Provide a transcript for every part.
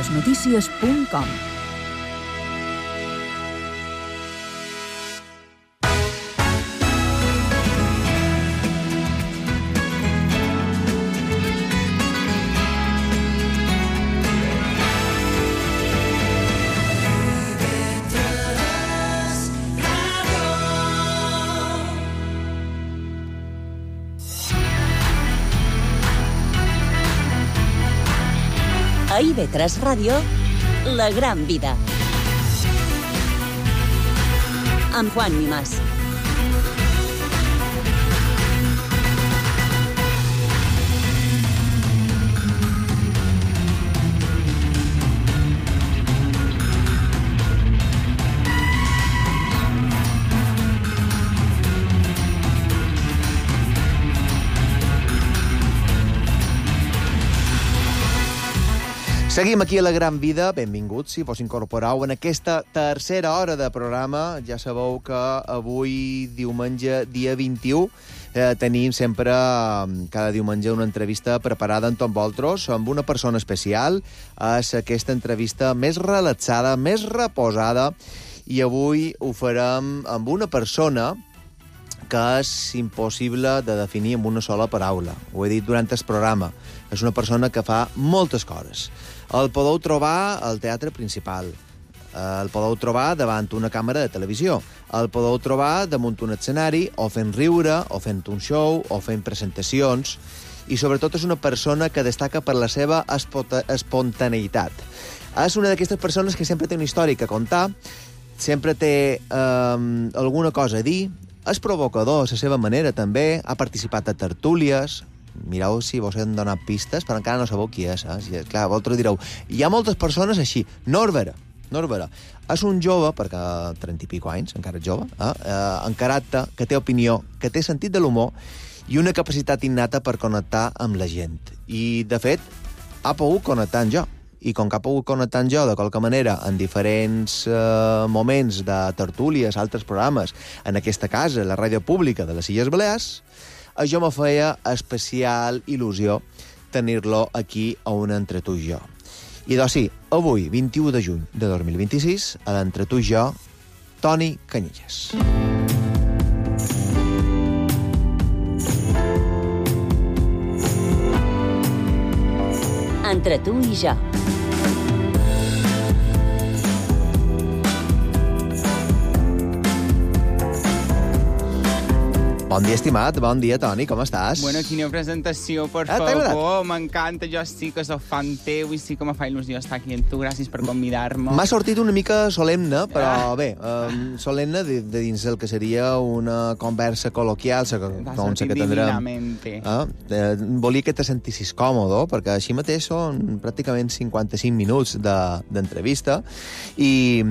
ivetresnotícies.com. A IB3 Ràdio, La Gran Vida. Amb Juan Mimàs. Seguim aquí a La Gran Vida. Benvinguts, si vos incorporeu en aquesta tercera hora de programa. Ja sabeu que avui, diumenge, dia 21, tenim sempre, cada diumenge, una entrevista preparada amb tots vosaltres, amb una persona especial. És aquesta entrevista més relaxada, més reposada, i avui ho farem amb una persona que és impossible de definir amb una sola paraula. Ho he dit durant el programa. És una persona que fa moltes coses. El podeu trobar al Teatre Principal. El podeu trobar davant una càmera de televisió. El podeu trobar damunt un escenari, o fent riure, o fent un show, o fent presentacions. I sobretot és una persona que destaca per la seva espontaneïtat. És una d'aquestes persones que sempre té una història a contar, sempre té alguna cosa a dir, és provocador a la seva manera també, ha participat a tertúlies. Mireu si vos hem donat pistes, però encara no sabeu qui és. Clar, vosaltres direu, hi ha moltes persones així. Norbert és un jove, perquè 30 i pico anys, encara és jove, en caràcter, que té opinió, que té sentit de l'humor i una capacitat innata per connectar amb la gent. I, de fet, ha pogut connectar amb jo. I com que ha pogut connectar amb jo de qualque manera en diferents moments de tertúlies, altres programes, en aquesta casa, la ràdio pública de les Illes Balears, això me feia especial il·lusió tenir-lo aquí a un Entre tu i jo. I doncs sí, avui, 21 de juny de 2026, a l'Entre tu i jo, Toni Canyelles. Entre tu i jo. Bon dia, estimat. Bon dia, Toni. Com estàs? Bueno, quina presentació, per favor. M'encanta. Jo sí que soc fan teu i sí que me fa il·lusió estar aquí amb tu. Gràcies per convidar-me. M'ha sortit una mica solemne, però bé, solemne de dins el que seria una conversa col·loquial, com que tindrem. Volia que te sentissis còmode, perquè així mateix són pràcticament 55 minuts d'entrevista i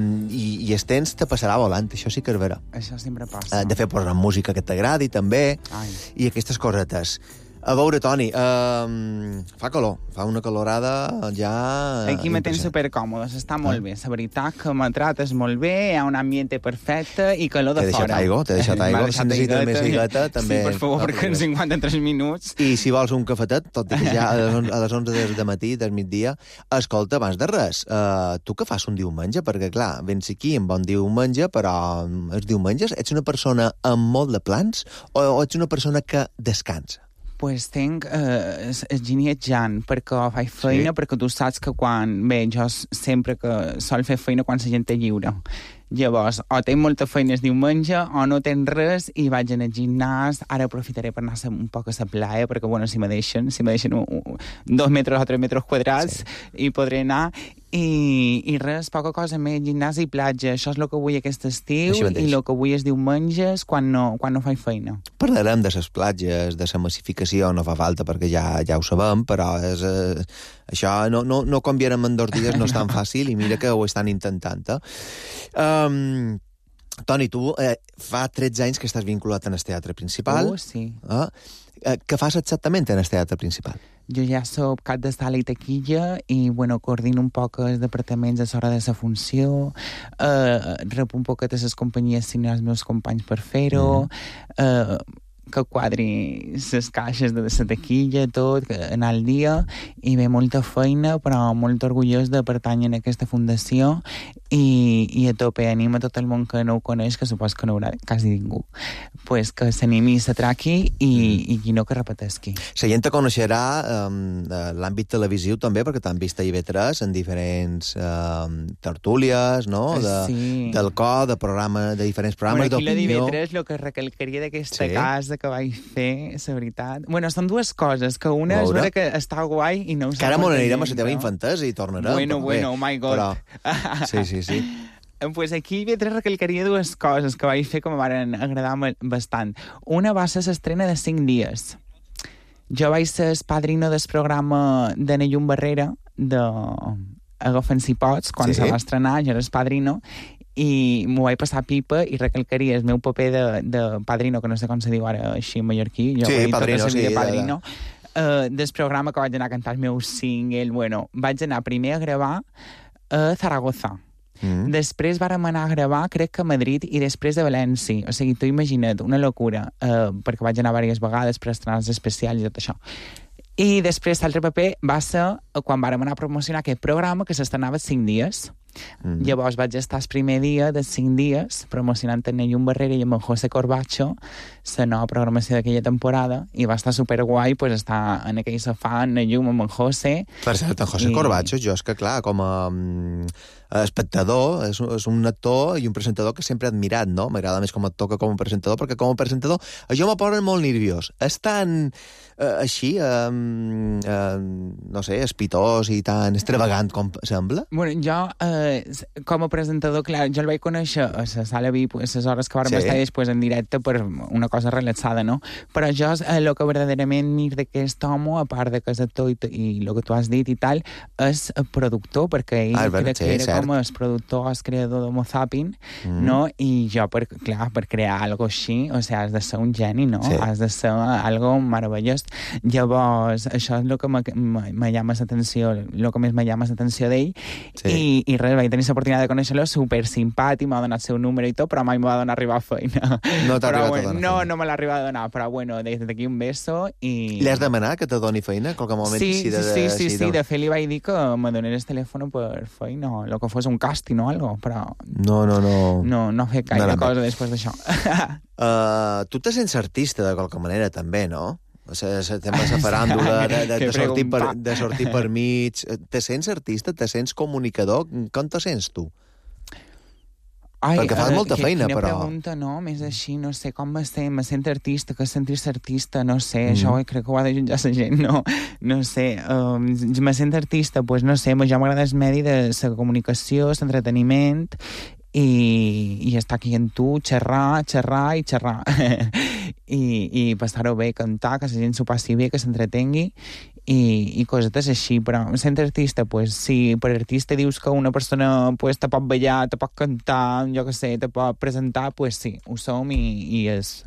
el temps te passarà volant, això sí que és vera. Això sempre passa. De fet, posar música que t'agradi, també, i aquestes cosetes. A veure, Toni, fa calor, fa una calorada ja... Aquí me tens supercòmodes, està molt bé. La veritat que me trates molt bé, hi ha un ambient perfecte i calor de fora. T'he deixat aigua, si necessites més aigueta, també... Sí, per favor, perquè en 53 minuts... I si vols un cafetet, tot i que ja a les 11 de matí, del migdia, escolta, abans de res, tu què fas un diumenge? Perquè, clar, vens aquí en bon diumenge, però els diumenges ets una persona amb molt de plans o ets una persona que descansa? Pues tinc ginietjant, perquè faig feina, perquè tu saps que quan... Bé, jo sempre que sol fer feina quan la gent té lliure. Llavors, o tinc molta feina el diumenge, o no tenc res, i vaig al gimnàs. Ara aprofitaré per anar un poc a la playa, perquè, bueno, si me deixen 2 metres o 3 metres quadrats, hi podré anar. I res, poca cosa més, gimnàs i platja. Això és el que vull aquest estiu i el que vull els diumenges quan no faig feina. Parlarem de les platges, de la massificació, no fa falta perquè ja ho sabem, però això no canviarem en 2 dies, no és tan fàcil, i mira que ho estan intentant. Toni, tu fa 13 anys que estàs vinculat en el Teatre Principal. Sí. Què fas exactament en el Teatre Principal? Jo ja soc cap de sala i taquilla i, bueno, coordino un poc els departaments a l'hora de la funció, rep un poquet de les companyies si no els meus companys per fer-ho, que quadri les caixes de la taquilla, tot, anar al dia, i ve molta feina, però molt orgullós de pertànyer a aquesta fundació i a tope anima tot el món que no ho coneix, que supos que no haurà quasi ningú, pues que s'animi i s'atraqui i qui no que repetesqui. La gent te coneixerà l'àmbit televisiu també, perquè t'han vist a IB3 en diferents tertúlies, no? Del cor, de diferents programes d'opinió. Bueno, aquí la d'IB3, el que recalcaria d'aquesta casa que vaig fer, la veritat... Bueno, són dues coses, que una és vera que està guai i no ho sé. Que ara m'ho anirem a la teva infantesa i tornarem. Bueno, oh my God. Però... Sí. Pues aquí IB3 recalcaria dues coses que vaig fer que m'han agradat bastant. Una va ser l'estrena de 5 dies. Jo vaig ser el padrino del programa de Nellum Barrera, de Agafen si pots, quan se va estrenar, jo era el padrino, i m'ho vaig passar pipa i recalcaria el meu paper de padrino, que no sé com se diu ara així en mallorquí, jo padrino, del programa que vaig anar a cantar el meu single. Bueno, vaig anar primer a gravar a Zaragoza. Després vàrem anar a gravar, crec que a Madrid, i després a València. O sigui, tu imagina't, una locura, perquè vaig anar diverses vegades per estrenar els especials i tot això. I després l'altre paper va ser quan vàrem anar a promocionar aquest programa que s'estrenava 5 dies. Llavors vaig estar el primer dia de 5 dies promocionant en Nellum Barrera i amb en José Corbacho la nova programació d'aquella temporada, i va estar superguai pues, estar en aquell sofà en Nellum amb en José. Per cert, en José Corbacho, jo és que clar, com a espectador, és un actor i un presentador que sempre he admirat, no? M'agrada més com a actor que com a presentador, perquè com a presentador això me posa molt nerviós. És tan així, no sé, espitós i tan extravagant com sembla? Bueno, jo, com a presentador, clar, jo el vaig conèixer a la sala VIP, a les hores que vam estar després en directe per una cosa relaxada, no? Però jo, el que verdaderament mir d'aquest home, a part de que és actor i el que tu has dit i tal, és productor, perquè ell crec que era com el productor, el creador d'Homo Zapping, no? I jo, clar, per crear algo així, o sigui, has de ser un geni, no? Has de ser algo meravellós. Llavors, això és el que me llama l'atenció, el que més me llama l'atenció d'ell, i res, vaig tenir l'oportunitat de conèixer-lo, super simpàtic, m'ha donat el seu número i tot, però mai m'ho va donar a arribar a feina. No t'ha arribat a donar feina? No me l'ha arribat a donar, però bueno, des d'aquí un beso i... Li has demanat que te doni feina? Qualque moment sí, de fet li vaig dir que me donés el telèfon per feina, o el que fos un càsting o algo, però... No he fet gaire cosa després d'això. Tu te sents artista de qualque manera, també, no? O sigui, el tema de la faràndula, de sortir per mig... Te sents artista? Te sents comunicador? Com te sents, tu? Perquè fas molta feina, però... Quina pregunta, no? Més així, no sé, com me sent artista, que sentir-se artista, no sé, això crec que ho ha de jutjar la gent, no sé, me sent artista, doncs no sé, ja m'agrada el medi de la comunicació, l'entreteniment, i estar aquí amb tu, xerrar i passar-ho bé, cantar, que la gent s'ho passi bé, que s'entretengui i cosetes així, però sent artista, pues, si per artista dius que una persona pues, te pot ballar, te pot cantar, jo què sé, te pot presentar, pues sí, ho som i és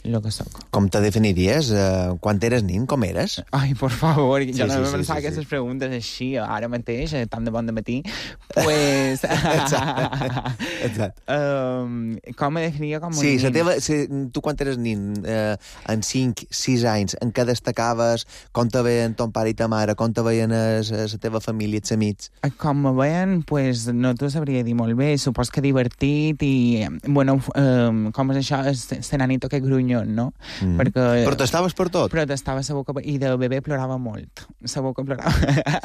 el que soc. Com te definiries? Quan eres nin, com eres? Ai, por favor, jo no me pensava aquestes preguntes així, ara mateix, tant de bon dematí. Pues... Exacte. Com me definiria com un nin? Tu quan eres nin, en 5-6 anys, en què destacaves? Com te veien ton pare i ta mare? Com te veien la teva família, els amics? Com me veien, pues, no t'ho sabria dir molt bé. Supos que divertit i... Bueno, com és això? Se nanito que grunyo, no? Perquè... Protestaves per tot? Protestava la boca... I de bebè plorava molt. La boca plorava.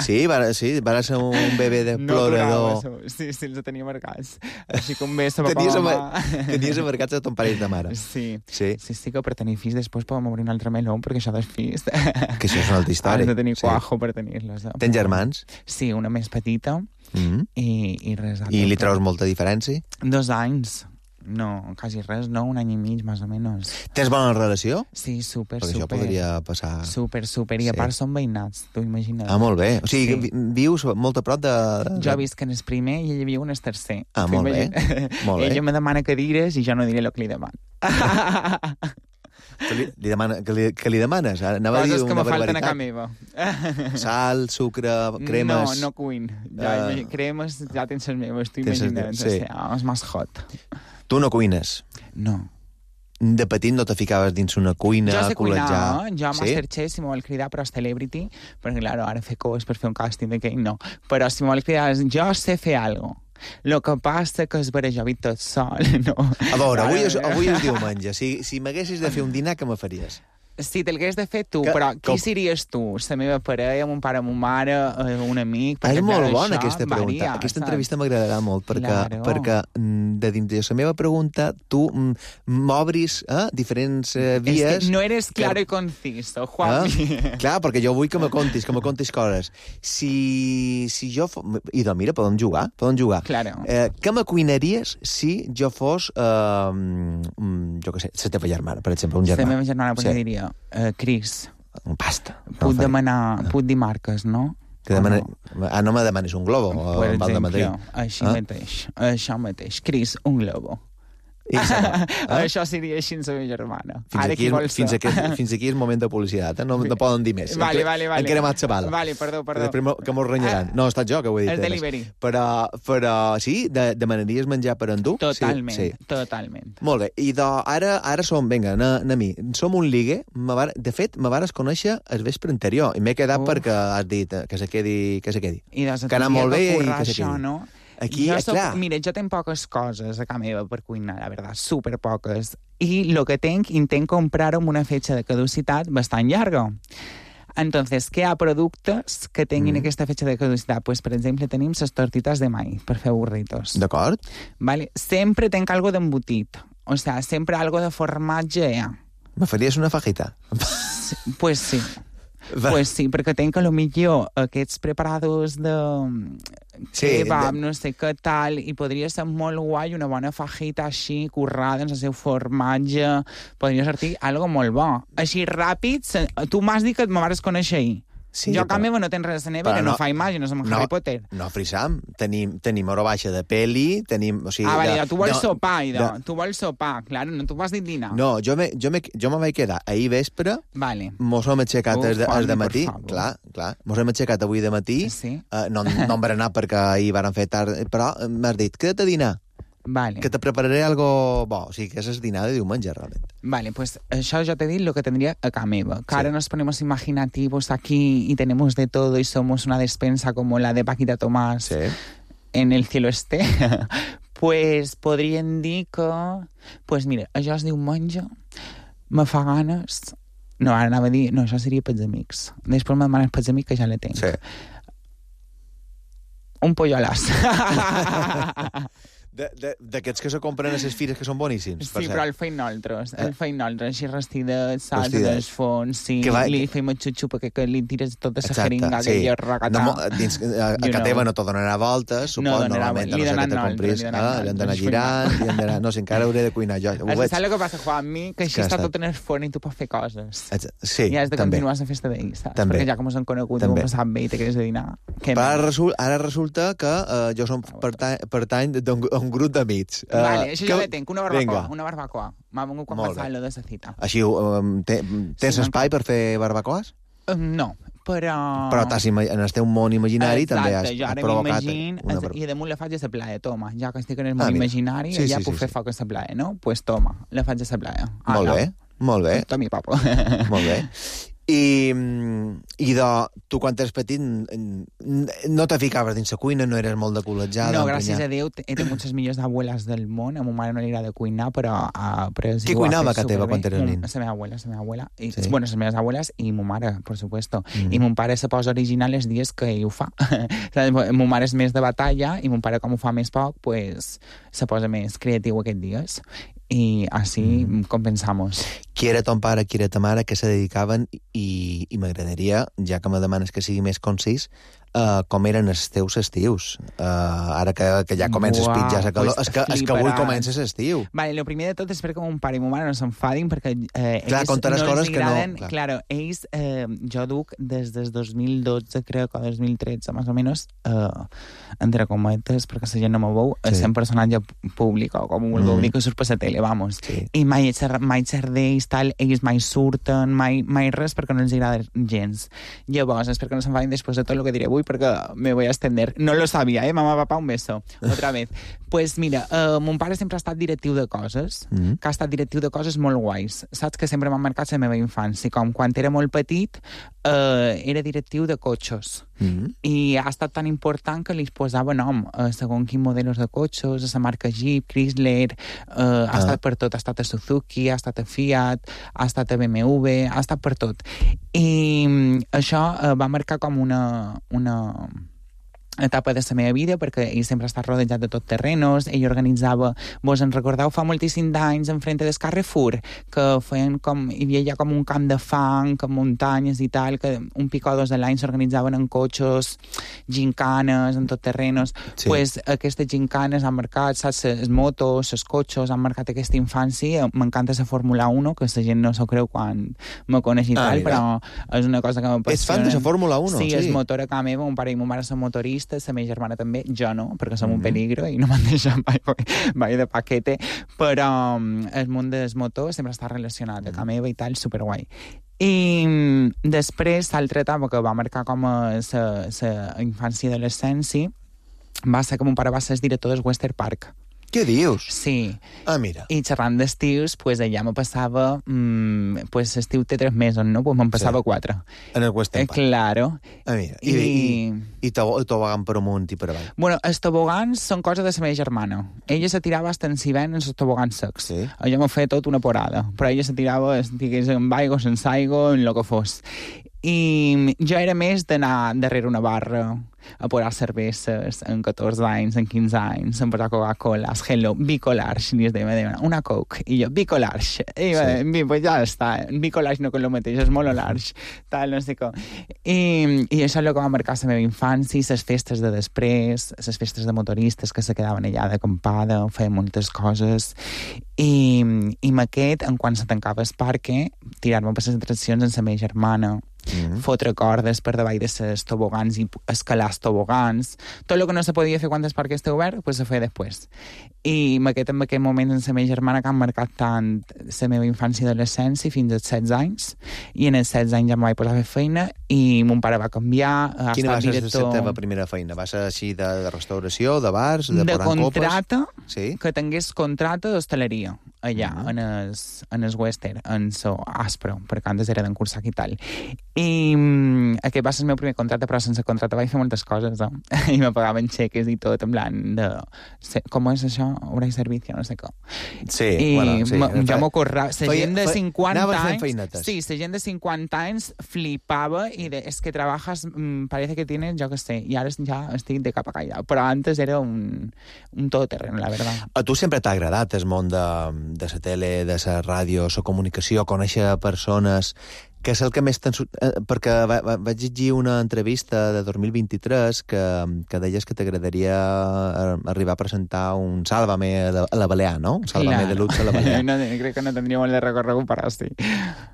Sí, va ser un bebè de plorador. No plorava, sí, els tenia marcats. Així com bé la boca mama. Tenies marcats a ton pare i ta mare. Sí, que per tenir fills després podem obrir un altre meló, perquè això dels fills... Que això és una altra història. Has de tenir cuajo per tenir-los. Tens germans? Sí, una més petita i res altre. I li treus molta diferència? 2 anys. No, quasi res, no, 1 any i mig, més o menys. Tens bona relació? Sí, super. Perquè això podria passar... Super, i a part són veïnats, t'ho imagines. Ah, molt bé. O sigui, vius molt a prop de... Jo visc en el primer i ell viu en el tercer. Ah, molt bé. Ella me demana cadires i jo no diré el que li demano. Que li demanes? Coses que me falten a casa meva. Sal, sucre, cremes... No cuin. Cremes ja tens les meves, t'ho imagines. És més hot. Tu no cuines? No. de petit no te ficaves dins una cuina jo a sé cuinar, col·legiar? jo a Masterchef, si m'ho vol cridar, però és Celebrity, perquè, clar, ara fer coses per fer un càsting d'aquell, no. Però si m'ho vol cridar, jo sé fer alguna cosa. Lo que passa que és jo vic tot sol, no? A veure, avui és diumenge. Si m'haguessis de fer un dinar, què me faries? Sí, te'l hagués de fer tu, però qui series tu? La meva parella, mon pare, mon mare, un amic? És molt bona aquesta pregunta. Aquesta entrevista m'agradarà molt, perquè de dins de la meva pregunta tu m'obris diferents vies... És que no eres claro i conciso, Juanmi. Clar, perquè jo vull que me contis coses. Si jo... Idò, mira, podem jugar. Claro. Què me cuinaries si jo fos, jo què sé, la teva germana, per exemple, un germà? La meva germana, sí. Diria, Cris. Un pasta. Puc dir marques, no? No me demanis un globo. Per exemple, això mateix. Cris, un globo. Això seria així en la meva germana. Fins aquí és moment de publicitat, no poden dir més. Vale. Han cremat la bala. Vale, perdó. Després que mos renyaran. No, he estat jo que ho he dit. El delivery. Però sí, demanaries menjar per endur? Totalment. Molt bé, i ara som, vinga, a mi, som un ligue, de fet, me vares conèixer el vespre anterior, i m'he quedat perquè has dit que se quedi. I doncs que ha anat molt bé i que se quedi. No? Aquí, clar. Mira, jo tenc poques coses a casa meva per cuinar, la verdad, super poques. I lo que intent comprar amb una fetge de caducitat bastant llarga. Entonces, què hi ha productes que tinguin aquesta fetge de caducitat? Pues, per exemple, tenim les tortitas de maíz per fer burritos. D'acord. Vale. Sempre tenc algo d'embotit. O sea, sempre algo de formatge. Me faries una fajita? Pues sí. Pues sí, perquè tenc a lo millor aquests preparados de kebab, no sé què tal, i podria ser molt guai una bona fajita així, currada en el seu formatge, podria sortir algo molt bo. Així ràpid, tu m'has dit que me vas conèixer ahir. Sí, jo a casa meva no tens res a nevera, no fa imatge, no som Harry Potter. No, Frisam, tenim hora baixa de peli, tenim... O sigui, vale, tu vols sopar, tu vols sopar, clar, no tu vas dir dinar. No, jo me vaig quedar ahir vespre, mos hem aixecat el de matí, clar, mos hem aixecat avui de matí, no em berenar perquè ahir varen fer tard, però m'has dit, queda't a dinar. Vale. Que te prepararé algo bo, o sigui, que és el dinar de diumenge, realment. Vale, pues això ja t'he dit lo que tendría a casa meva. Que ahora nos ponemos imaginativos aquí y tenemos de todo y somos una despensa como la de Paquita Tomás en el cielo esté. Pues podríem dir que... Pues mira, això és diumenge, me fa ganes... No, ara anava a dir... No, això seria pels amics. Després me demanes pels amics que ja la tinc. Sí. Un pollolas. D'aquests que se compren a les fires que són boníssims. Sí, però el feim nosaltres, així restidet, salts en els fons, sí, li feim el xup perquè li tires tota la jeringa que hi ha regatat. A casa teva no t'ho donarà voltes, suposo, normalment, no sé que te compris. Li han d'anar girant, no sé, encara hauré de cuinar jo. Saps el que passa, Juanmi? Que així està tot en el forn i tu pots fer coses. Sí, i has de continuar la festa d'ahir, saps? Perquè ja com us han conegut, ho hem passat bé i te quedes de dinar. Ara resulta que jo som pertany d'un grup d'amics. Vale, això ja la tenc, una barbacoa. M'ha vengut quan passava lo de la cita. Així, tens espai per fer barbacoes? No, però en el teu món imaginari també has provocat una... I damunt la faig a la playa, toma. Ja que estic en el món imaginari, ja puc fer foc a la playa, no? Pues toma, la faig a la playa. Molt bé. Tomi, papo. Molt bé. I tu quan eres petit no te ficaves dins la cuina, no eres molt de col·legiar. No, gràcies a Déu, he tingut les millors abueles del món. A ma mare no li agrada cuinar, però qui cuinava a teva quan eres nen? La meva abuela. Bueno, les meves abueles i ma mare, por supuesto. I mon pare se posa original els dies que ell ho fa. Mon mare és més de batalla i mon pare, com ho fa més poc, pues se posa més creatiu aquests dies. I així compensamos. Qui era ton pare, qui era ta mare, que se dedicaven, i m'agradaria, ja que me demanes que sigui més concís, com eren els teus estius. Ara que ja comences a pitjar la calor, és que avui comences l'estiu. Vale, lo primer de tot és perquè mon pare i mon mare no s'enfadin, perquè ells no els agraden... Claro, ells, jo duc des del 2012, crec, o 2013, més o menys, entre cometes, perquè la gent no me veu, sent personatge públic, o com ho vulgueu dir, que surt per la tele, vamos. I mai xer d'ells, tal, ells mai surten, mai res, perquè no els agrada gens. Llavors, és perquè no s'enfadin després de tot el que diré avui, avui perquè me voy a extender. No lo sabía, mamá, papá, un beso. Otra vez. Pues mira, mon pare sempre ha estat directiu de coses, que ha estat directiu de coses molt guais. Saps que sempre m'han marcat la meva infància. Com quan era molt petit, era directiu de cotxes. I ha estat tan important que li posava nom segons quin modelos de cotxes, a la marca Jeep, Chrysler, ha estat per tot, ha estat a Suzuki, ha estat a Fiat, ha estat a BMW, ha estat per tot. I això va marcar com una etapa de la meva vida, perquè ell sempre ha estat rodejat de tot terrenos, ell organitzava, vos en recordeu, fa moltíssims d'anys enfrente del Carrefour, que feien com, hi havia ja com un camp de fang, amb muntanyes i tal, que un pic o dos de l'any s'organitzaven en cotxes, gincanes, en tot terrenos. Sí. Pues aquestes gincanes han marcat, saps, les motos, els cotxes, han marcat aquesta infància. M'encanta la Fórmula 1, que la gent no s'ho creu quan me coneix i tal, però és una cosa que m'apassiona. És fan de la Fórmula 1? Sí, és motor a casa meva, mon pare i mon mare són motoristes, la meva germana també, jo no, perquè som un peligro i no m'han deixat mai de paquete, però el món dels motors sempre està relacionat a casa meva i tal, superguai. I després, l'altra etapa que va marcar com la infància i adolescència va ser que mon pare va ser el director del Western Park. Què dius? Sí. Ah, mira. I xerrant d'estius, pues allà me passava... pues l'estiu té 3 mesos, no? Pues me'n passava 4. En el Western Park. Claro. Ah, mira. I tobogan per amunt i per avall. Bueno, els tobogans són cosa de la meva germana. Ella se tirava hasta en Sivent en els tobogans secs. Sí. Jo m'ho feia tot una porada. Però ella se tirava, digués, en aigua, sense aigua, en lo que fos. I jo era més d'anar darrere una barra a posar cerveses en 14 anys, en 15 anys, en posar Coca-Cola, Hello, Bicolarge, i es deia una Coke, i jo, Bicolarge, i sí. Pues ja està, Bicolarge no que el mateix, és molt large, tal, no sé com. I això és el que va marcar la meva infància, les festes de després, les festes de motoristes que se quedaven allà d'acampada, feien moltes coses, i amb aquest, en quan se tancava el parque, tirar-me per les atraccions amb la meva germana, fotre cordes per davall de les tobogans i escalar els tobogans. Tot el que no se podia fer quan el parc estava obert, pues se feia després. I en aquest moment amb la meva germana que han marcat tant la meva infància i adolescència fins als 16 anys, i en els 16 anys ja em vaig posar a fer feina i mon pare va canviar. Quina va ser la teva primera feina? Va ser així de restauració, de bars, de posar copes? De contrata, sí? Que tingués contrata d'hostaleria allà, en el Western, en so Aspro, perquè antes era d'encursar i tal. I aquest va ser el meu primer contracte, però sense contracte vaig fer moltes coses, no? I me pagaven xeques i tot, en plan de... Com és això? Obra i servicio, no sé com. Sí, I bueno, sí. Jo m'ocorrava... La gent de 50 anys... Sí, la gent de 50 anys flipava i és que trabajas, parece que tienes, jo que sé, i ara ja estic de cap a callà. Però antes era un todoterreno, la verdad. A tu sempre t'ha agradat el món de la tele, de la ràdio, la comunicació, conèixer persones... que és el que més perquè vaig llegir una entrevista de 2023 que deies que t'agradaria arribar a presentar un Sálvame a la Balear, no? Un Sálvame de Luxe a la Balear. No, crec que no tindria molt de recorregut per així.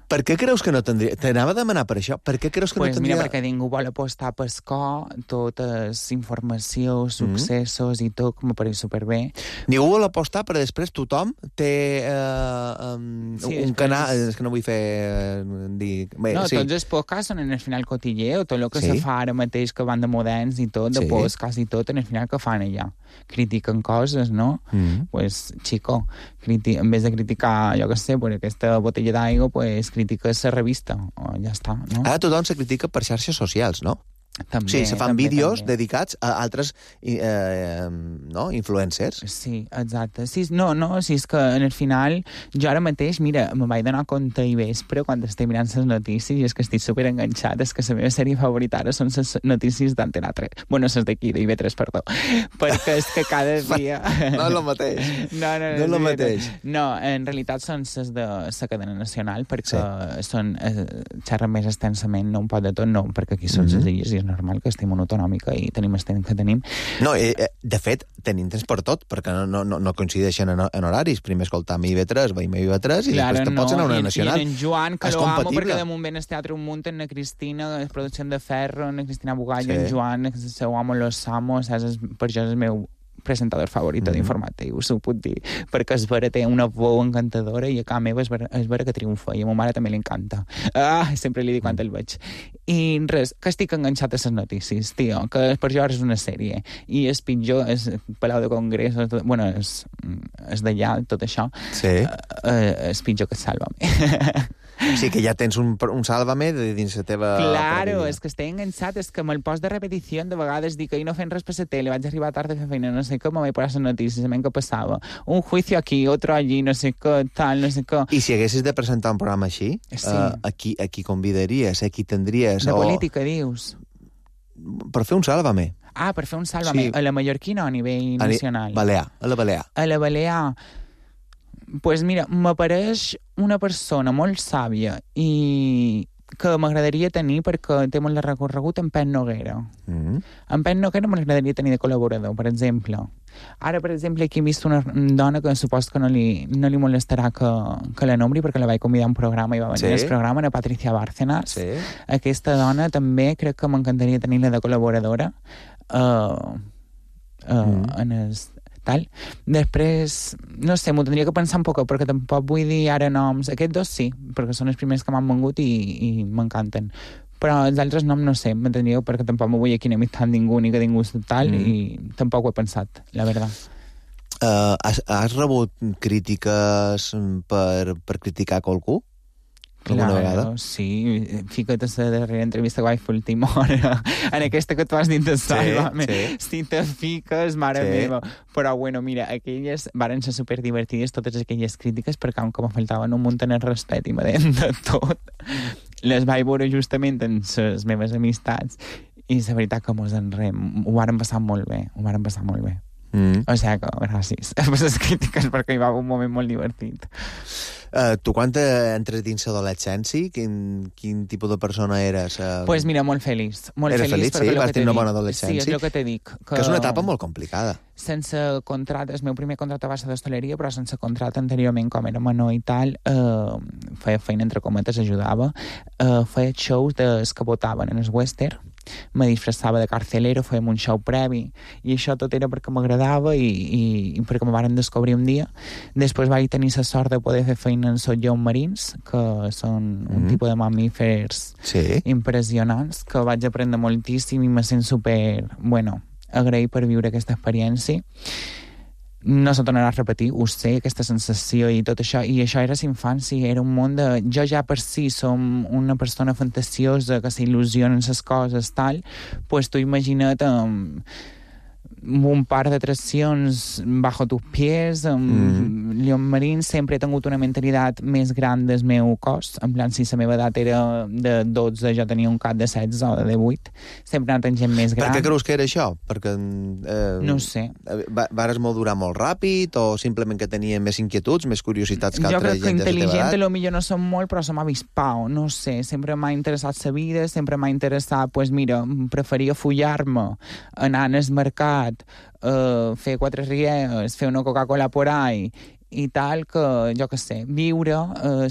Per què creus que no tindria? T'anava a demanar per això. Per què creus que no tindria? Mira, perquè ningú vol apostar per cor, totes informacions, successos i tot, com pareix superbé. Ningú vol apostar, però després tothom té un canal... És que no vull fer... Bé, no, tots els podcasts són en el final cotilleo, tot el que se fa ara mateix que van de moderns i tot, de podcast i tot, en el final que fan allà. Critiquen coses, no? Pues, chico, en vez de criticar, jo què sé, pues, aquesta botella d'aigua, pues, critiques la revista, o ja està, no? Ara tothom se critica per xarxes socials, no? També, sí, se fan vídeos dedicats a altres influencers. Sí, exacte. Sí, no, és que en el final, jo ara mateix, mira, me vaig donar compte i vespre quan estic mirant les notícies i és que estic superenganxat, és que la meva sèrie favorita ara són les notícies d'Antena 3. Bueno, les d'aquí, d'IV3, perdó. Perquè és que cada dia... No és el mateix. No és el mateix. No, en realitat són les de la cadena nacional, perquè són xerren més extensament, no un pot de tot, no, perquè aquí són les illes i normal que estem autonòmica i tenim el temps que tenim. No, de fet, tenim temps per tot, perquè no coincideixen en horaris. Primer escoltam IB3, veiem IB3 i després te pots anar a una nacional. I en Joan, que lo amo, perquè de moment el Teatre un munt, en la Cristina, la producció de Ferro, en la Cristina Bugallo, en Joan, ho amo, los amo, per jo és el meu presentador favorito d'informatius, ho puc dir, perquè es vera té una veu encantadora i a casa meva es vera que triomfa, i a ma mare també li encanta. Sempre li dic quan el veig. I res, que estic enganxat a les notícies, tio, que per jo és una sèrie, i és pitjor, és Palau de Congrés, bueno, és d'allà, tot això, és pitjor que Sálvame. Sí, que ja tens un Sálvame dins la teva... Claro, és que estic enganxat, és que me'l post de repetició, de vegades dic que no fent res per la tele, vaig arribar tard a fer feina, no sé com, me vaig posar les notícies, què passava. Un juicio aquí, otro allí, no sé què, tal, no sé què. I si haguessis de presentar un programa així, a qui convidaries, a qui tindries? De política, dius? Per fer un Sálvame. Per fer un Sálvame. Sí. A la mallorquina o a nivell nacional? Balear, a la Balear. A la Balear... Pues mira, m'apareix una persona molt sàvia i que m'agradaria tenir perquè té molt de recorregut en Pep Noguera. En Pep Noguera m'agradaria tenir de col·laborador, per exemple. Ara, per exemple, aquí he vist una dona que suposo que no li molestarà que la nombri perquè la vaig convidar a un programa i va venir al programa, a Patricia Bárcenas. Sí. Aquesta dona també crec que m'encantaria tenir-la de col·laboradora en el... tal. Després, no sé, m'ho tindria que pensar un poc, perquè tampoc vull dir ara noms. Aquests dos sí, perquè són els primers que m'han vengut i m'encanten. Però els altres noms no sé, m'entendríeu, perquè tampoc m'ho vull aquí enemistar ningú ni que ningú tal, i tampoc ho he pensat, la veritat. Has rebut crítiques per criticar qualcú? Alguna vegada? Sí, fica't a la darrera entrevista que vaig fer última hora, en aquesta que tu has dit de Sálvame. Si te fiques, mare meva. Però, bueno, mira, aquelles varen ser superdivertides, totes aquelles crítiques, perquè com me faltaven un munt en el respecte i me deien de tot. Les vaig veure justament en les meves amistats i la veritat que ho varen passar molt bé, O sigui que, gràcies per les crítiques, perquè hi va haver un moment molt divertit. Tu quan entres dins l'adolescència, quin tipus de persona eres? Pues mira, molt feliç. Eres feliç, sí? Vas tenir una bona adolescència? Sí, és el que te dic. Que és una etapa molt complicada. Sense contracte, el meu primer contracte va ser d'hostaleria, però sense contracte anteriorment, com era menor i tal, feia feina entre cometes, ajudava, feia shows que votaven en el western, me disfressava de carcelero, fèiem un show previ, i això tot era perquè m'agradava i perquè me varen descobrir un dia. Després vaig tenir la sort de poder fer feina en lleons marins, que són un tipus de mamífers impressionants, que vaig aprendre moltíssim i me sent super, agraït per viure aquesta experiència. No se tornarà a repetir, ho sé, aquesta sensació i tot això, i això era l'infància, era un món de... Jo ja per si som una persona fantasiosa que s'il·lusiona en les coses, tal, pues tu imagina't un parc d'atraccions bajo tus pies, Lleons Marins. Sempre he tingut una mentalitat més gran del meu cos, en plan, si la meva edat era de 12, jo tenia un cap de 16 o de 18, sempre he anat amb gent més gran. Per què creus que era això? Perquè no sé. Vares madurar molt ràpid, o simplement que tenia més inquietuds, més curiositats que altra gent de la teva edat? Jo crec que intel·ligent potser no som molt, però som avispau, no sé, sempre m'ha interessat la vida, sempre m'ha interessat, pues mira, preferia follar-me, anar al mercat, fer 4 rieres, fer una Coca-Cola por ahí i tal, que jo què sé, viure,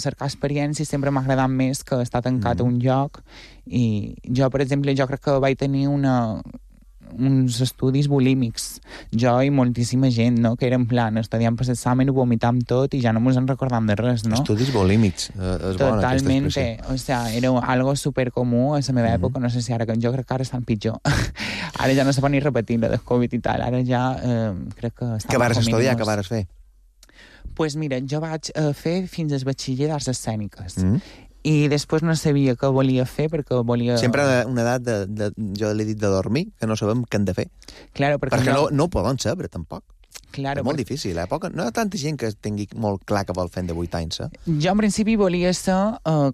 cercar experiències sempre m'ha agradat més que estar tancat a un lloc. I jo, per exemple, jo crec que vaig tenir uns estudis bulímics, jo i moltíssima gent, no? Que era en plan, estudiant per l'examen, ho vomitam tot i ja no mos en recordam de res, no? Estudis bulímics, és bona aquesta expressió. O sea, era algo supercomú a la meva època, no sé si ara, jo crec que ara estan pitjor. Ara ja no se pot ni repetir la del Covid i tal, ara ja crec que... Què vares estudiar, què vares fer? Pues mira, jo vaig fer fins al batxiller d'arts escèniques. I després no sabia què volia fer, perquè volia... Sempre una edat, jo l'he dit, de dormir, que no sabem què hem de fer. Claro, perquè no ho poden saber, tampoc. Claro, és molt difícil, no hi ha tanta gent que tingui molt clar que vol fer de 8 anys, Jo, en principi, volia ser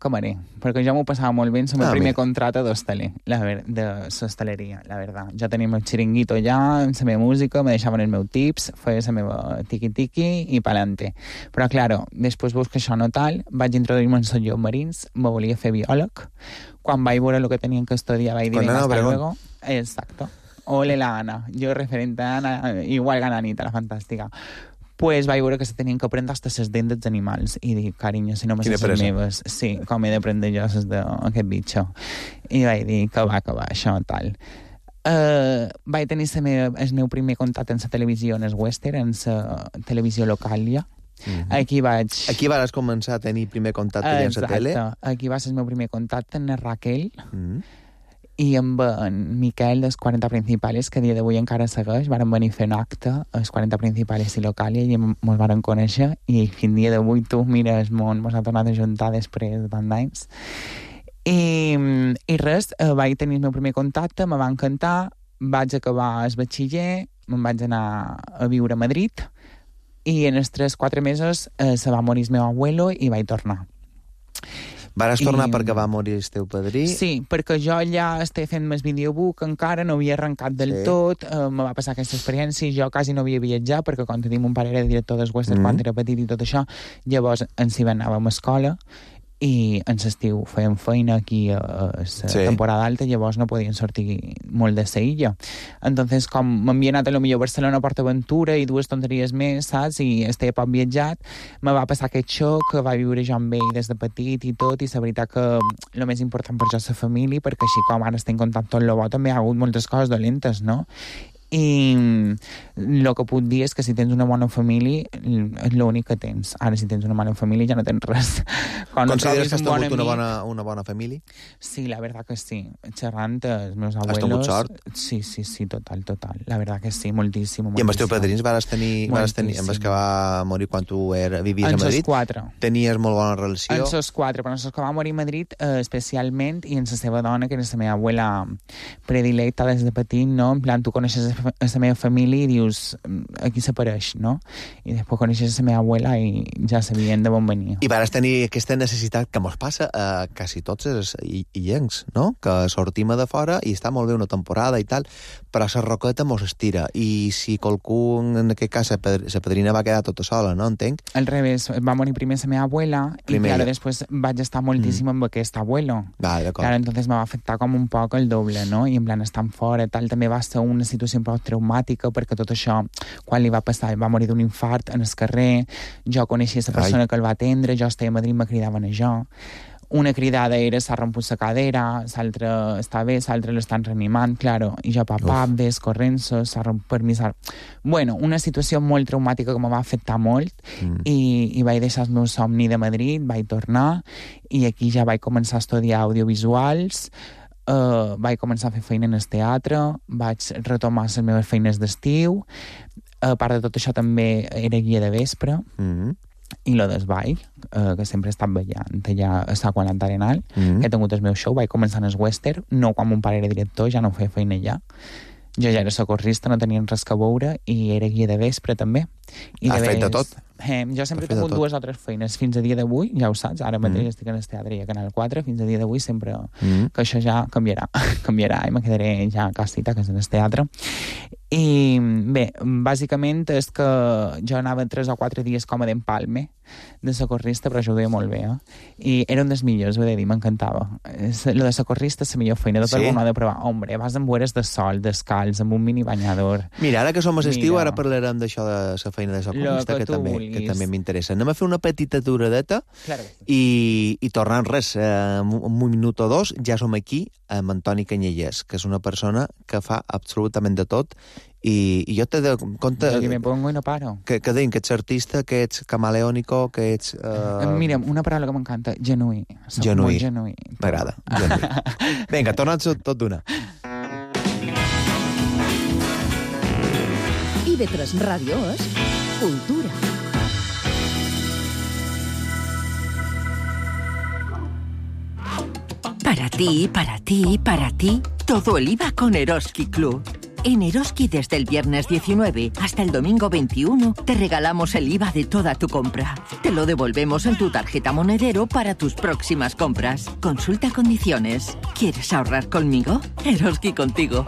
camarer, perquè jo m'ho passava molt bé en el primer contracte d'hostaler, de l'hostaleria, la veritat. Jo tenia el meu xiringuito allà, amb la meva música, me deixaven els meus tips, feia la meva tiqui-tiqui i pa'lante. Però, claro, després veus que això no tal, vaig introduir-me en els lleons marins, me volia fer biòleg. Quan vaig veure el que tenien que estudiar, vaig dir, venga, hasta luego. Exacto. Ole la Ana, jo referente a Ana, igual que Anita, la fantàstica. Pues vaig veure que se tenien que aprendre hasta les dents dels animals. I dic, carinyo, si no me les meves. Sí, com he d'aprendre jo les d'aquest bitxo. I vaig dir, que va, això, tal. Vaig tenir el meu primer contacte en la televisió, en el western, en la televisió local ja. Aquí vas començar a tenir primer contacte en la tele? Exacte. Aquí va ser el meu primer contacte amb Raquel i amb en Miquel dels 40 Principales, que a dia d'avui encara segueix. Varen venir a fer un acte als 40 Principales i Localia i ens varen conèixer i fins dia d'avui tu, mira, el món ens ha tornat a juntar després de tant d'anys. I res, vaig tenir el meu primer contacte, me va encantar, vaig acabar el batxiller, me'n vaig anar a viure a Madrid i en els 3-4 mesos se va morir el meu abuelo i vaig tornar. Vares tornar perquè va morir el teu padrí? Sí, perquè jo ja estic fent més videobook encara, no havia arrencat del tot, me va passar aquesta experiència, jo quasi no havia viatjat, perquè quan tenim un pare era director del Western quan era petit i tot això, llavors ens hi anàvem a escola, i en l'estiu fèiem feina aquí a la temporada alta, llavors no podien sortir molt de la illa. Entonces, com m'havia anat a lo millor a Barcelona a PortAventura i 2 tonteries més, saps? I estava poc viatjat, me va passar aquest xoc, que va viure jo amb ell des de petit i tot, i la veritat que el més important per jo és la família, perquè així com ara estem en contacte amb el bo, també hi ha hagut moltes coses dolentes, no? I el que puc dir és que si tens una bona família és l'únic que tens. Ara si tens una mala família ja no tens res. Consideres que has tingut una bona família? Sí, la verdad que sí. Xerrant els meus abuelos... Has tingut sort? Sí, total. La verdad que sí, moltíssim. I amb els teus padrins vas tenir amb els que va morir quan tu vivies a Madrid? En els 4. Tenies molt bona relació? En els 4, però en els que va morir a Madrid especialment, i en la seva dona, que era la meva abuela predilecta des de petit, no? En plan, tu coneixes a la meva família i dius, aquí s'apareix, no? I després coneixes la meva abuela i ja sabien de on venia. I vas tenir aquesta necessitat que mos passa a quasi tots els illencs, no? Que sortim de fora i està molt bé una temporada i tal, però la roqueta mos estira. I si qualcú, en aquest cas, la padrina va quedar tota sola, no? Entenc? Al revés, va morir primer la meva abuela i claro, després vaig estar moltíssim amb aquest abuelo. Vale, claro, entonces me va afectar com un poc el doble, no? I en plan, estant fora, tal, també va ser una situació un poc traumàtica, perquè tot això, quan li va passar, va morir d'un infart en el carrer, jo coneixia la persona que el va atendre, jo estava a Madrid, me cridaven a jo. Una cridada era s'ha romput la cadera, l'altra està bé, l'altra l'estan reanimant, claro, i jo papà, ves corrent-se, s'ha romput per mi... Bueno, una situació molt traumàtica que me va afectar molt i vaig deixar el meu somni de Madrid, vaig tornar i aquí ja vaig començar a estudiar audiovisuals, vaig començar a fer feina en el teatre, vaig retomar les meves feines d'estiu, a part de tot això també era guia de vespre, i lo del ball, que sempre he estat ballant allà a Sa Qualanta Arenal, que he tingut el meu show, vaig començar en el western, no quan mon pare era director, ja no feia feina allà. Jo ja era socorrista, no tenien res que veure, i era guia de vespre també. Has fet de tot? Jo sempre he tingut 2 o 3 feines fins a dia d'avui, ja ho saps, ara mateix estic en el teatre i a Canal 4, fins a dia d'avui sempre que això ja canviarà i me quedaré ja a casita, que és en el teatre. I bé, bàsicament és que jo anava 3 o 4 dies com a d'empalme de socorrista, però jo ho deia molt bé, i era un dels millors, ho he de dir, m'encantava. Lo de socorrista és la millor feina, tot el món ha de provar. Hombre, vas amb boires de sol, descalç, amb un mini banyador. Mira, ara que som a l'estiu, ara parlarem d'això de la feina de socorrista, que també m'interessa. Anem a fer una petita aturadeta i tornant res, un minut o 2, ja som aquí amb Antoni Canyelles, que és una persona que fa absolutament de tot, i jo t'he de compte... Jo me pongo i no paro. Que deim, que ets artista, que ets camaleònico, que ets... Mira, una paraula que m'encanta, genuí. Genuí. Genuí. M'agrada, genuí. Vinga, torna'ns tot d'una. IB3 Ràdio és cultura. Para ti, todo el IVA con Eroski Club. En Eroski desde el viernes 19 hasta el domingo 21 te regalamos el IVA de toda tu compra. Te lo devolvemos en tu tarjeta monedero para tus próximas compras. Consulta condiciones. ¿Quieres ahorrar conmigo? Eroski contigo.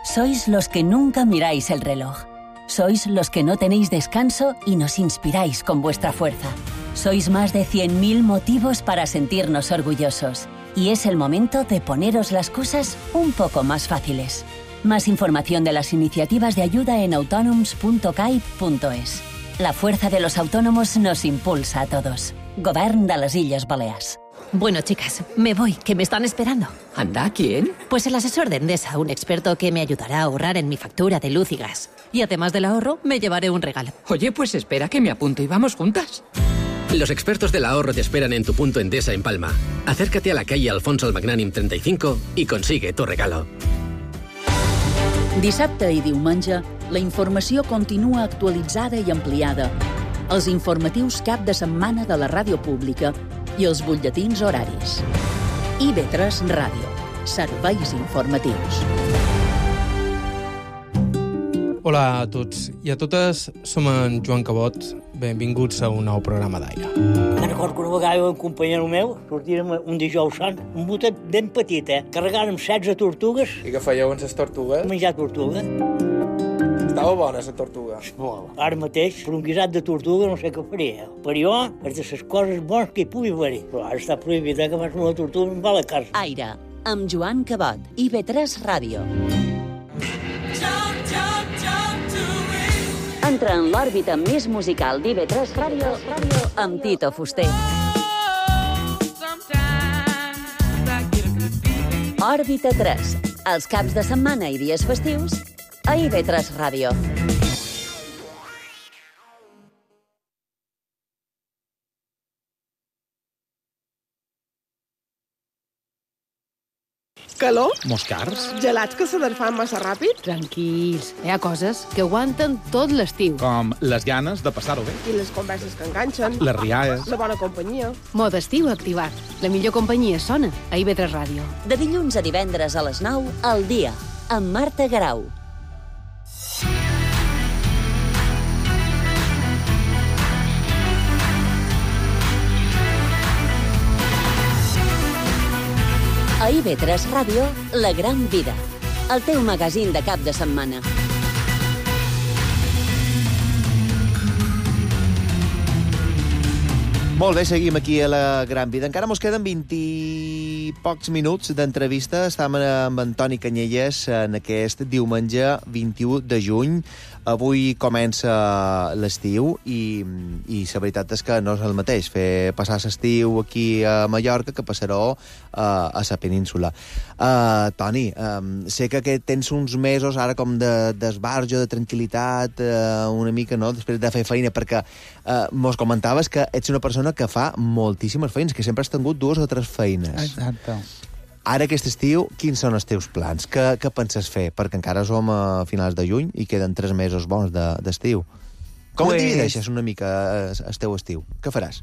Sois los que nunca miráis el reloj. Sois los que no tenéis descanso y nos inspiráis con vuestra fuerza. Sois más de 100.000 motivos para sentirnos orgullosos. Y es el momento de poneros las cosas un poco más fáciles. Más información de las iniciativas de ayuda en autonoms.caip.es. La fuerza de los autónomos nos impulsa a todos. Govern de les Illes Balears. Bueno, chicas, me voy, que me están esperando. ¿Anda? ¿Quién? Pues el asesor de Endesa, un experto que me ayudará a ahorrar en mi factura de luz y gas. Y además del ahorro, me llevaré un regalo. Oye, pues espera que me apunto y vamos juntas. Los expertos del ahorro te esperan en tu punto Endesa en Palma. Acércate a la calle Alfonso el Magnànim 35 y consigue tu regalo. Dissabte i diumenge, la informació continua actualitzada i ampliada. Els informatius cap de setmana de la ràdio pública i els butlletins horaris. IB3 Ràdio. Serveis informatius. Hola a tots i a totes, som en Joan Cabot. Benvinguts a un nou programa d'Aire. Me'n recordo que una vegada un companyero meu sortírem un dijous sant, un botet ben petit, carregàrem 16 tortugues. I què fèieu amb les tortugues? Menjar tortuga. Estava bona, la tortuga. Ara mateix, per un guisat de tortuga no sé què faria. Per jo, és de les coses bones que hi pugui haver. Però ara està prohibit que fas una tortuga i em va a la casa. Aire, amb Joan Cabot. IB3 Ràdio. Entra en l'òrbita més musical d'IB3 Ràdio amb Tito Fuster. Òrbita 3. Els caps de setmana i dies festius a IB3 Ràdio. Calor? Moscars? Gelats que s'aderfan massa ràpid? Tranquils, hi ha coses que aguanten tot l'estiu. Com les ganes de passar-ho bé. I les converses que enganxen. Les rialles. La bona companyia. Mode estiu activat. La millor companyia sona a IB3 Ràdio. De dilluns a divendres a les 9, al dia, amb Marta Garau. A IB3 Ràdio, La Gran Vida, el teu magazín de cap de setmana. Molt bé, seguim aquí a La Gran Vida. Encara mos queden 20 i pocs minuts d'entrevista. Estem amb Antoni Canyelles en aquest diumenge 21 de juny. Avui comença l'estiu i la veritat és que no és el mateix fer passar l'estiu aquí a Mallorca que passar-ho a la península. Toni, sé que tens uns mesos ara com d'esbarjo, de tranquil·litat, una mica, no?, després de fer feina, perquè mos comentaves que ets una persona que fa moltíssimes feines, que sempre has tingut 2 o 3 feines. Exacte. Ara, aquest estiu, quins són els teus plans? Què penses fer? Perquè encara som a finals de juny i queden 3 mesos bons d'estiu. Com et divideixes una mica el teu estiu? Què faràs?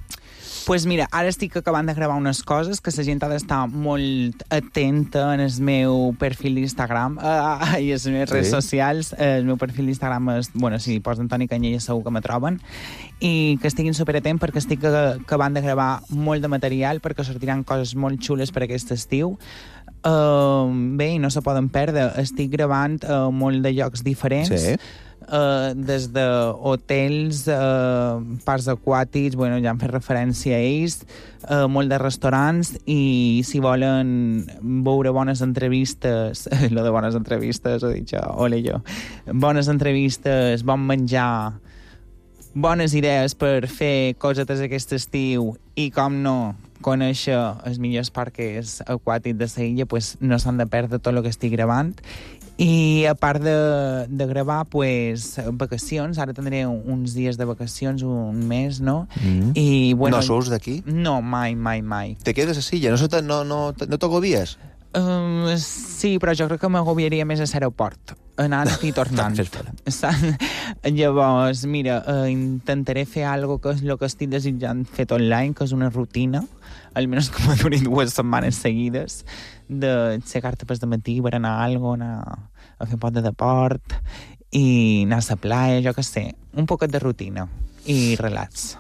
Pues mira, ara estic acabant de gravar unes coses que la gent ha d'estar molt atenta en el meu perfil d'Instagram i les meves redes socials. El meu perfil d'Instagram és, bueno, si pots Antoni Canyelles segur que me troben, i que estiguin superatent perquè estic acabant de gravar molt de material perquè sortiran coses molt xules per aquest estiu. Bé, i no se poden perdre. Estic gravant molt de llocs diferents. Sí. Des d'hotels, parcs aquàtics, bueno, ja han fet referència a ells, molt de restaurants, i si volen veure bones entrevistes, lo de bones entrevistes, ho he dit jo, ole jo, bones entrevistes, bon menjar, bones idees per fer cosetes aquest estiu i, com no, conèixer els millors parcs aquàtics de la illa, pues no s'han de perdre tot el que estic gravant. I a part de gravar, pues, vacacions, ara tindré uns dies de vacacions, un mes, no? I, bueno, no surts d'aquí? No, mai. Te quedes a Silla? No t'agobies? Sí, però jo crec que m'agobiaria més a l'aeroport, anant i tornant. Llavors, mira, intentaré fer alguna cosa que és el que estic desitjant fer tot l'any, que és una rutina, almenys que m'ha durat 2 setmanes seguides, de aixecar-te per matí per anar a alguna cosa, a fer un poc de deport i anar a la playa, jo què sé, un poquet de rutina i relax.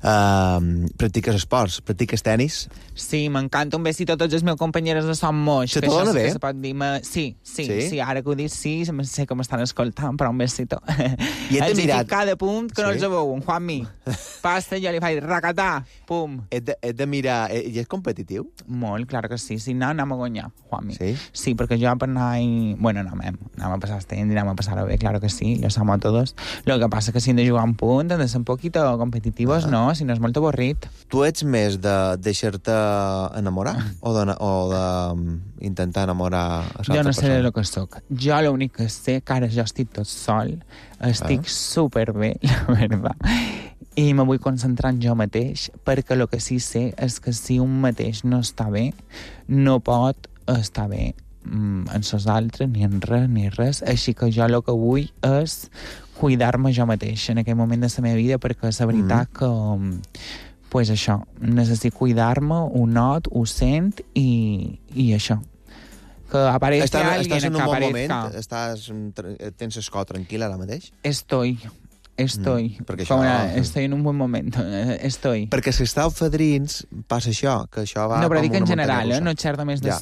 Practiques esports? Practiques tenis? Sí, m'encanta. Un besito a tots els meus companyeros de Son Moix. Se te dona bé? Sí, ara que ho dic, sí, sé que m'estan escoltant, però un besito. I els he ficat cada punt que no els veuen. Juanmi, pasta, jo li faig racatà, pum. He de mirar... I és competitiu? Molt, clar que sí. Si no, anem a guanyar, Juanmi. Sí? Sí, perquè jo per anar... Bueno, anem a passar el temps, anem a passar-ho bé, claro que sí, lo samo a todos. Lo que pasa es que si hem de jugar un punt, hem de ser un poquito competitivos pues no, si no és molt avorrit. Tu ets més de deixar-te enamorar o d'intentar enamorar a l'altra persona? Jo no sé el que soc. Jo l'únic que sé, que ara jo estic tot sol, estic superbé, la veritat, i me vull concentrar en jo mateix, perquè el que sí sé és que si un mateix no està bé, no pot estar bé en els altres, ni en res. Així que jo el que vull és cuidar-me jo mateix en aquest moment de la meva vida, perquè és la veritat que, pues això, necessito cuidar-me, ho not, ho sent i això. Que aparezca alguien estàs en un que bon aparezca. moment? Tens el cor tranquil ara mateix? Estoy. Estoy en un buen momento. Estoy. Perquè si estàu fadrins, passa això, que això va... No, però com dic en una general, muntanya russa. no xerro més de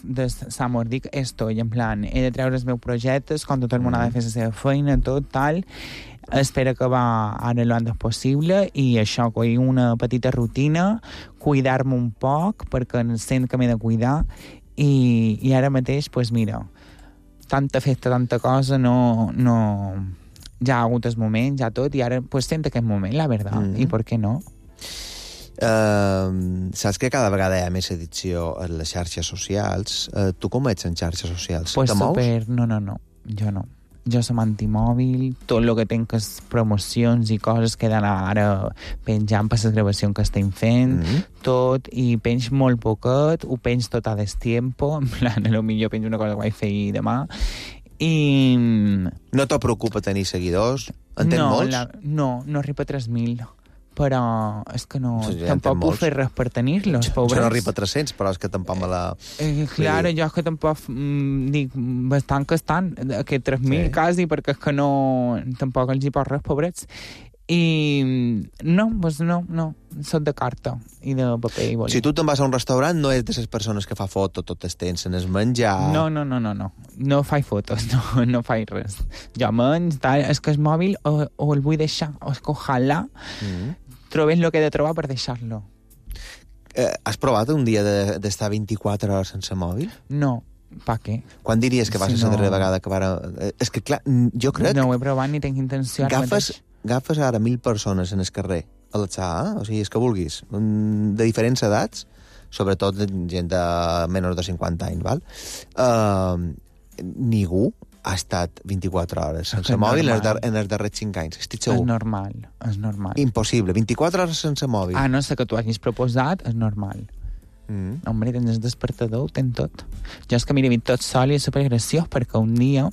l'amor. Dic estoy, en plan, he de treure els meus projectes, com tot el món ha de fer la seva feina, tot, tal. Espero que va ara lo antes possible i això, coi una petita rutina, cuidar-me un poc, perquè sent que m'he de cuidar, i ara mateix, pues mira, tanta festa, tanta cosa, no ja ha hagut el moment, ja tot, i ara pues sent aquest moment, la veritat, i per què no? Saps que cada vegada hi ha més edició en les xarxes socials. Tu com ets en xarxes socials? Pues te mous? No, jo no. Jo som antimòbil, tot el que tenc és promocions i coses que he d'anar ara penjant per les gravacions que estem fent, tot, i penjo molt poquet, ho penjo tot a destiempo, en plan, potser penjo una cosa que vaig fer demà, i... No te preocupa tenir seguidors? En tens molts? No arriba a 3.000. Però és que no... Ja tampoc puc fer res per tenir-los, pobres. Jo no arriba a 300, però és que tampoc me la... Claro, jo és que tampoc dic bastant que estan, aquests 3.000 quasi, perquè és que no... Tampoc els hi pot res, pobrets. I no, soc de carta i de paper i boli. Si tu te'n vas a un restaurant, no és de les persones que fa foto tot el temps, en es menjar... No. No faig fotos, no faig res. Jo menys, tal, és que el mòbil o el vull deixar, o és que ojalà trobés el que he de trobar per deixar-lo. Has provat un dia d'estar 24 hores sense mòbil? No. Pa què? Quan diries que va ser la darrera vegada que vara... És que, clar, jo crec... No ho he provat ni tinc intenció. Agafes ara 1.000 persones en el carrer a l'alçar, o sigui, és que vulguis, de diferents edats, sobretot gent de menys de 50 anys, val? Ningú ha estat 24 hores sense mòbil en els darrers 5 anys. Estic segur. És normal. Impossible. 24 hores sense mòbil. No sé que tu hagis proposat, és normal. Hombre, tens el despertador, ho tens tot. Jo és que m'he vist tot sol i és supergraciós, perquè un dia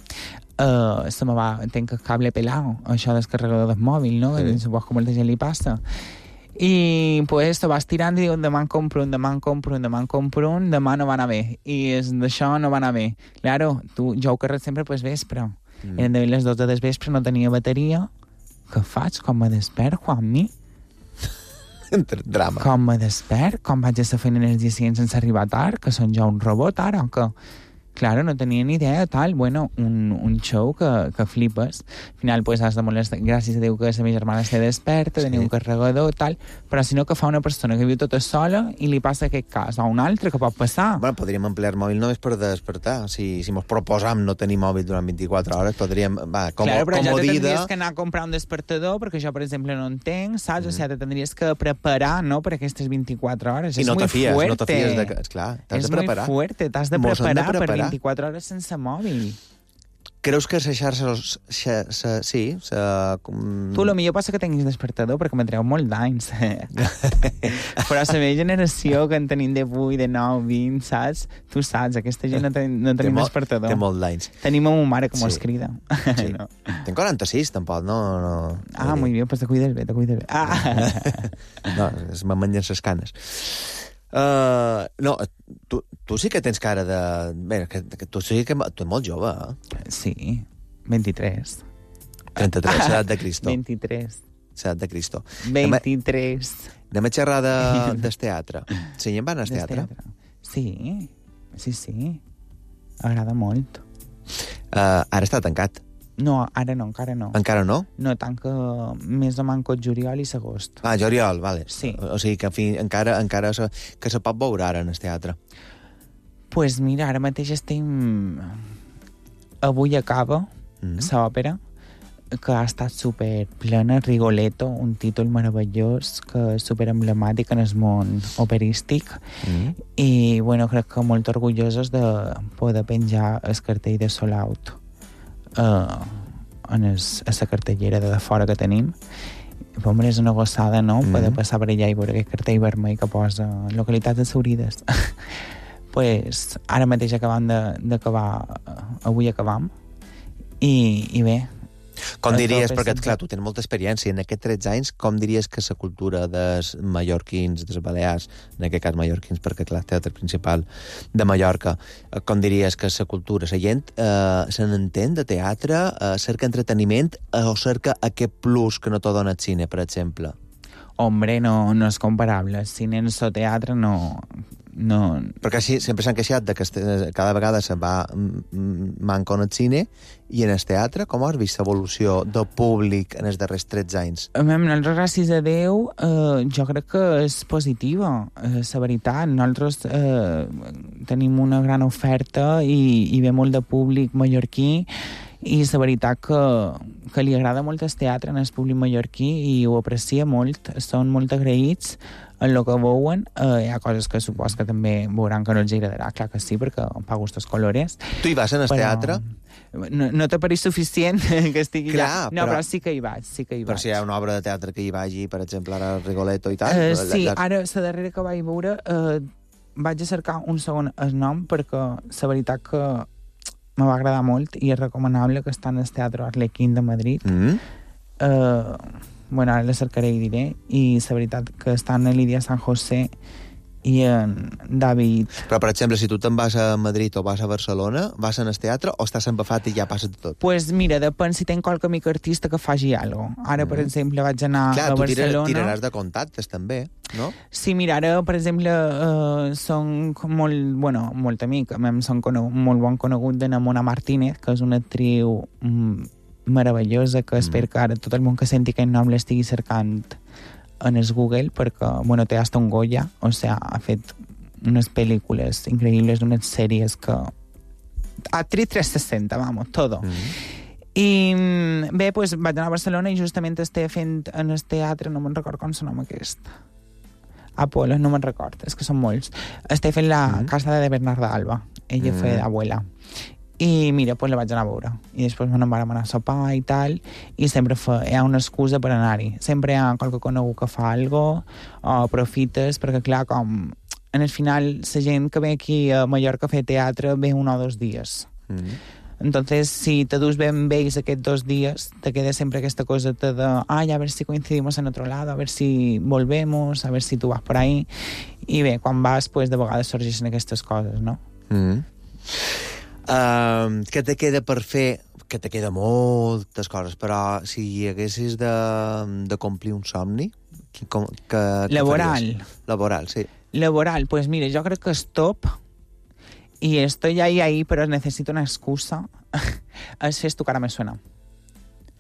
se me va, tenc el cable pelado, això del carregador del mòbil, no? Sí. Suposo que molta gent li passa. I pues te vas tirant i dius, demà en compro un, demà no va anar bé. I d'això no va anar bé. Claro, jo ho carrego sempre pues vespre. Eren de les 2 del vespre, no tenia bateria. Què faig? Com me despert, Juanmi? Drama. Com me despert? Com vaig a fer feina en els dies sense arribar tard? Que són jo un robot ara, o què? Claro, no tenia ni idea, tal. Bueno, un show que flipes. Al final, pues, has de molestar. Gràcies a Déu que la meva germana està desperta, tenia un carregador, tal. Però si no, que fa una persona que viu tota sola i li passa aquest cas, o un altre que pot passar. Bueno, podríem emplear el mòbil només per despertar. Si mos proposam no tenir mòbil durant 24 hores, podríem... Claro, però ja tindries que anar a comprar un despertador, perquè jo, per exemple, no en tenc, saps? O sigui, te tindries que preparar, no?, per aquestes 24 hores. I no te fies de... Esclar, t'has de preparar. És molt fuerte, t'has de preparar per 24 hores sense mòbil. Creus que la xarxa... Sí. Tu, lo millor passa que tinguis despertador, perquè me treu molt d'anys. Però la meva generació, que en tenim de 8, de 9, 20, saps? Tu saps, aquesta gent no tenim despertador. Té molt d'anys. Tenim a ma mare que mos crida. Sí. No. Tenc 46, tampoc, no... Muy bien, pues te cuides bé. No, me mengen les canes. No, tu sí que tens cara de... Bé, tu sí que... Tu ets molt jove, eh? Sí, 23. 33, l'edat de Cristo. 23. L'edat de Cristo. 23. Anem a xerrar del teatre. Sí, en van al teatre? Sí. Agrada molt. Ara està tancat. No, ara no, encara no. Encara no? No, tanca més o manco juliol i agost. Juliol, vale. Sí. O sigui que encara que se pot veure ara en el teatre. Pues mira, ara mateix estem... Avui acaba l'òpera. que ha estat super plena, Rigoletto, un títol meravellós que és super emblemàtic en el món operístic i bueno, crec que molt orgullosos de poder penjar el cartell de Sold Out a la cartellera de fora que tenim. Home, és una gossada, no? Poder passar per allà i veure aquest cartell vermell que posa localitats exhaurides. Pues ara mateix acabam d'acabar, avui acabam, i bé. Com diries, perquè clar, tu tens molta experiència en aquests 13 anys, com diries que la cultura dels mallorquins, dels balears, en aquest cas mallorquins, perquè clar, el teatre principal de Mallorca, com diries que la cultura, la gent se n'entén de teatre, cerca entreteniment o cerca aquest plus que no t'ho dona el cine, per exemple? Hombre, no és comparable. El cine en el teatre no... Perquè així sempre s'han queixat de que cada vegada se va manco en el cine i en el teatre. Com has vist l'evolució del públic en els darrers 13 anys? Nosaltres, gràcies a Déu, jo crec que és positiva, la veritat. Nosaltres tenim una gran oferta i ve molt de públic mallorquí i la veritat que li agrada molt el teatre en el públic mallorquí i ho aprecia molt, són molt agraïts en el que veuen. Hi ha coses que supos que també veuran que no els agradarà, clar que sí, perquè pa gustos colores. Tu hi vas en el teatre? No t'ha pareix suficient que estigui clar, allà. No, però sí que hi vaig, Però si hi ha una obra de teatre que hi vagi, per exemple, ara Rigoletto i tal... Sí, ara la darrera que vaig veure vaig a cercar un segon el nom perquè la veritat que me va agradar molt i és recomanable, que està en el Teatre Arlequín de Madrid. Bueno, ara la cercaré i diré. I la veritat que està en Lídia San José i en David. Però, per exemple, si tu te'n vas a Madrid o vas a Barcelona, vas en el teatre o estàs empafat i ja passa tot? Pues mira, depèn si tenc qualque amic artista que faci alguna cosa. Ara, per exemple, vaig anar a Barcelona... Clar, tu tiraràs de contactes, també, no? Sí, mira, ara, per exemple, són molt amic, són molt bon conegut de Mona Martínez, que és una actriu meravellosa, que espero que ara tot el món que senti aquest nom l'estigui cercant en el Google, perquè, bueno, té hasta un Goya, o sea, ha fet unes pel·lícules increïbles, unes sèries que... Actriz 360, vamos, todo. I bé, pues, vaig anar a Barcelona i justament estic fent en el teatre, no me'n record com se nom aquest. Apolo, no me'n record, és que són molts. Estic fent la casa de Bernarda Alba. Ella fa d'abuela. I mira, pues la vaig anar a veure. I després vam anar a sopar i tal, i sempre hi ha una excusa per anar-hi. Sempre hi ha qualque conegut que fa alguna cosa, o aprofites, perquè clar, com en el final la gent que ve aquí a Mallorca a fer teatre ve 1 o 2 dies. Entonces, si te dus ben vells aquests 2 dies, te queda sempre aquesta cosa de a ver si coincidimos en otro lado, a ver si volvemos, a ver si tu vas por ahí. I bé, quan vas, pues, de vegades sorgeixen aquestes coses, no? Què te queda per fer? Que te queda moltes coses, però si hi haguessis de complir un somni... Laboral. Laboral, sí. Laboral, pues mira, jo crec que és top y estoy ahí, pero necesito una excusa. És fer Tu cara me suena.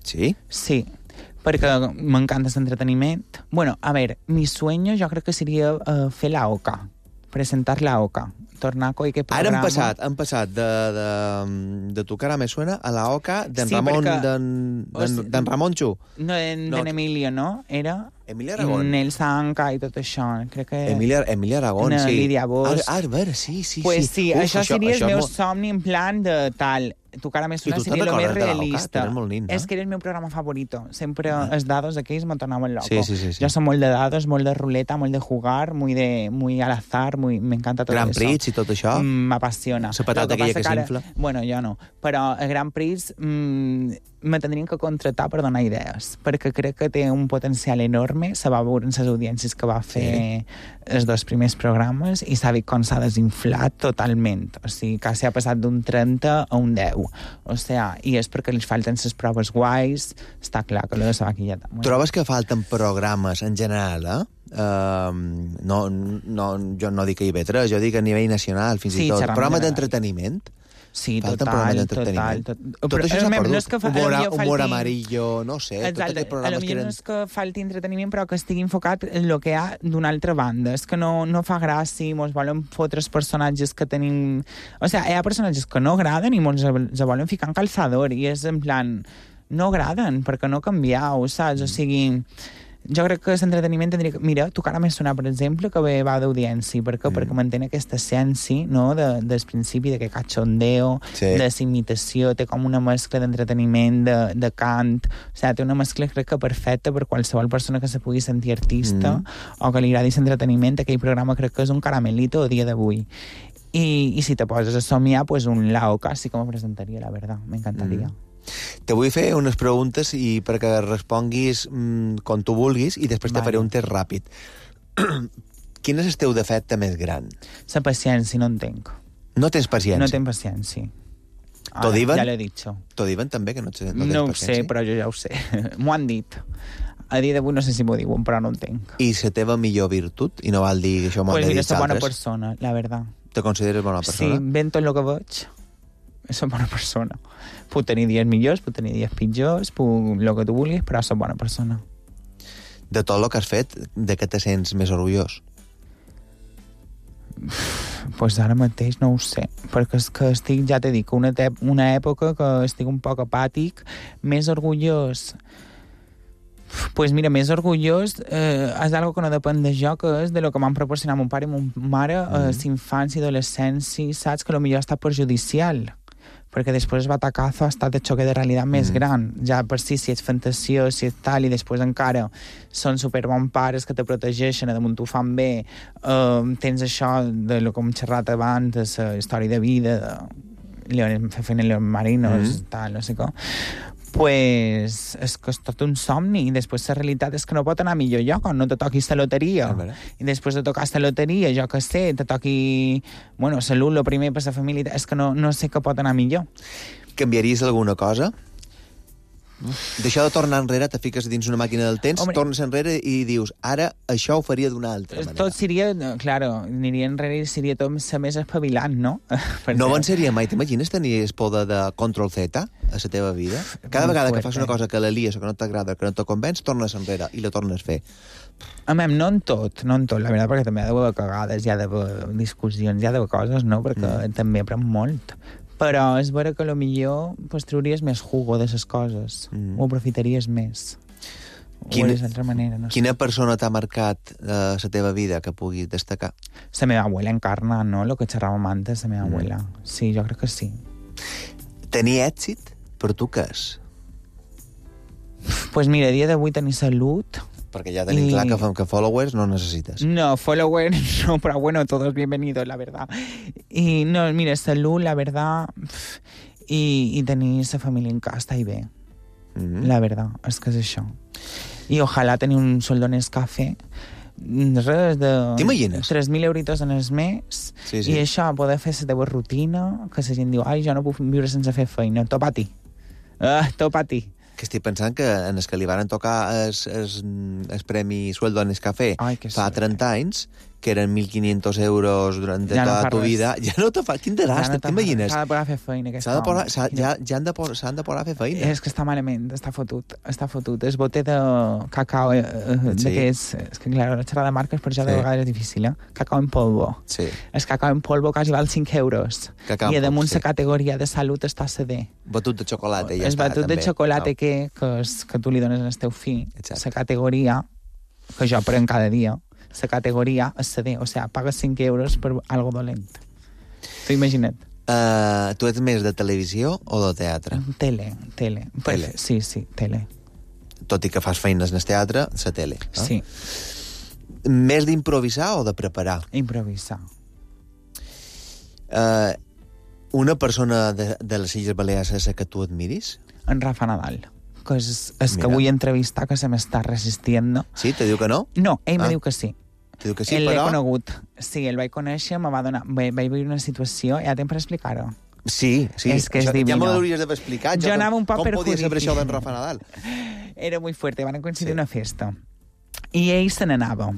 Sí? Sí, perquè m'encanta l'entreteniment. Bueno, a ver, mi sueño jo crec que seria fer la OCA, presentar la OCA. Tornar a aquest programa. Ara hem passat de Tu cara me suena a la OCA d'en Ramon, d'en Ramonxo. No, d'en Emilio, no? Era... Emilia Aragón. Nel Sanca i tot això. Crec que... Emilia Aragón, sí. Lídia Bosch. A veure, sí. Pues sí, això seria el meu somni en plan de tal... Tu cara me suena seria lo més realista. És que era el meu programa favorito. Sempre els dados aquells me tornaven loco. Sí. Jo soc molt de dados, molt de ruleta, molt de jugar, muy al azar, me encanta tot Grand eso. Prix i tot això. M'apassiona. La patata aquella que s'infla. Bueno, jo no. Però el Grand Prix me tindrien que contratar per donar idees, perquè crec que té un potencial enorme. Se va veure en les audiències que va fer els 2 primers programes i s'ha vist com s'ha desinflat totalment. O sigui, quasi ha passat d'un 30 a un 10. O sea, i és perquè els falten les proves guais, està clar que lo de la vaquilleta. Trobes que falten programes en general, jo no dic que IB3, jo dic a nivell nacional, fins i tot. Programes d'entreteniment? Sí, total. Tot això s'ha perdut. Humor amarillo, no sé. Exacte, potser no és que falti entreteniment, però que estigui enfocat en el que hi ha d'una altra banda. És que no fa gràcia, mos volen fotre els personatges que tenim... O sigui, hi ha personatges que no agraden i mos volen ficar en calçador, i és en plan... no agraden, perquè no canvieu, saps? O sigui, jo crec que l'entreteniment tindria que... Mira, tu que ara m'he sonat, per exemple, que bé va d'audiència. Per què? Perquè mantén aquesta essència, no?, del principi, de que cachondeo, de l'imitació, té com una mescla d'entreteniment, de cant, o sigui, té una mescla, crec que perfecta per qualsevol persona que se pugui sentir artista o que li agradi l'entreteniment. Aquell programa crec que és un caramelito a dia d'avui. I si te poses a somiar, pues un Laoca sí que me presentaria, la verdad, m'encantaria. Te vull fer unes preguntes i perquè responguis com tu vulguis i després te faré un test ràpid. Quin és el teu defecte més gran? La paciència, no en tenc. No tens paciència? No tenc paciència. T'ho diuen? Ja l'he dit. T'ho diuen també, que no tens paciència? No ho sé, però jo ja ho sé. M'ho han dit. A dia d'avui no sé si m'ho diuen, però no en tenc. I la teva millor virtut? I no val dir que això m'ho han de dir altres? Pues mira, soc bona persona, la verdad. Te consideres bona persona? Sí, ben tot el que veig. Soc bona persona. Puc tenir dies millors, puc tenir dies pitjors, el que tu vulguis, però soc bona persona. De tot el que has fet, de què te sents més orgullós? Pues ara mateix no ho sé, perquè és que estic, ja t'he dit, una època que estic un poc apàtic, més orgullós... Pues mira, més orgullós és algo que no depèn de jo, que és de lo que m'han proporcionat mon pare i mon mare a l'infància i adolescència, saps? Que potser ha estat perjudicial, perquè després el batacazo ha estat de xoque de realitat més gran. Ja per si ets fantasió, si ets tal, i després encara són superbons pares que te protegeixen, damunt t'ho fan bé, tens això de lo que hem xerrat abans, de la història de vida, de fer feina en León Marinos, tal, no sé com... Pues és que és tot un somni, i després la realitat és que no pot anar millor lloc, no te toquis la loteria, i després de tocar la loteria, jo que sé, te toqui, bueno, salut, lo primer per la família, és que no sé què pot anar millor. Canviaries alguna cosa? D'això de tornar enrere, te fiques dins una màquina del temps, tornes enrere i dius, ara això ho faria d'una altra manera. Tot seria, claro, aniria enrere i seria tot més espavilant, no? No avançaria mai, t'imagines tenir el poder de Control-Z a la teva vida? Cada vegada que fas una cosa que la lies o que no t'agrada, que no te convenç, tornes enrere i la tornes a fer. No en tot, la veritat, perquè també hi ha d'haver cagades, hi ha d'haver discussions, hi ha d'haver coses, no? Perquè també aprèn molt. Però és vera que potser pues, trauries més jugo de les coses, ho aprofitaries més. Quina persona t'ha marcat la teva vida que puguis destacar? La meva abuela Encarna, no? Lo que xerràvem antes, la meva abuela. Sí, jo crec que sí. Tenir èxit, per tu què és? Pues mira, a dia d'avui tenir salut... Perquè ja tenim clar que followers no necessites. No, followers no, però bueno, todos bienvenidos, la verdad. Y no, mira, salud, la verdad, y tenir la família en casa, està bé. La verdad, és que és això. I ojalà tenir un sueldo en Nescafé, res de... T'imagines? 3.000 euritos en el mes, i això, poder fer la teva rutina, que la gent diu, ai, jo no puc viure sense fer feina, top a ti. Top a ti. Que estic pensant que en els que li van tocar el premi Sueldo en Nescafé fa 30 anys, que eren 1.500 euros durant tota tu vida, ja no te fa... Quin dràstic, t'imagines? S'ha de poder fer feina. S'han de poder fer feina. És que està malament, està fotut. És bote de cacao, és que, clar, la xerrada de marques per això de vegades és difícil, Cacao en polvo. És cacao en polvo quasi val 5 euros. I damunt la categoria de salut està CD. Batut de xocolata, ja està, també. És batut de xocolata que tu li dones al teu fill. La categoria, que jo prenc cada dia, la categoria és CD, o sigui, pagues 5 euros per algo dolent. T'ho imagina't. Tu ets més de televisió o de teatre? Tele. Sí, tele. Tot i que fas feines en el teatre, la tele. Sí. Més d'improvisar o de preparar? Improvisar. Una persona de les Illes Balears és la que tu admiris? En Rafa Nadal. Que és que vull entrevistar, que se m'està resistint. Sí? Te diu que no? No, ell me diu que sí. Te diu que sí, però... L'he conegut. Sí, el vaig conèixer, me va donar... Vaig viure una situació... Ja temps per explicar-ho? Sí. És que és divino. Ja m'ho hauries d'haver explicat. Jo anava un poc com podia saber això d'en Rafa Nadal? Era molt fuerte, van coincidir una festa. I ell se n'anava.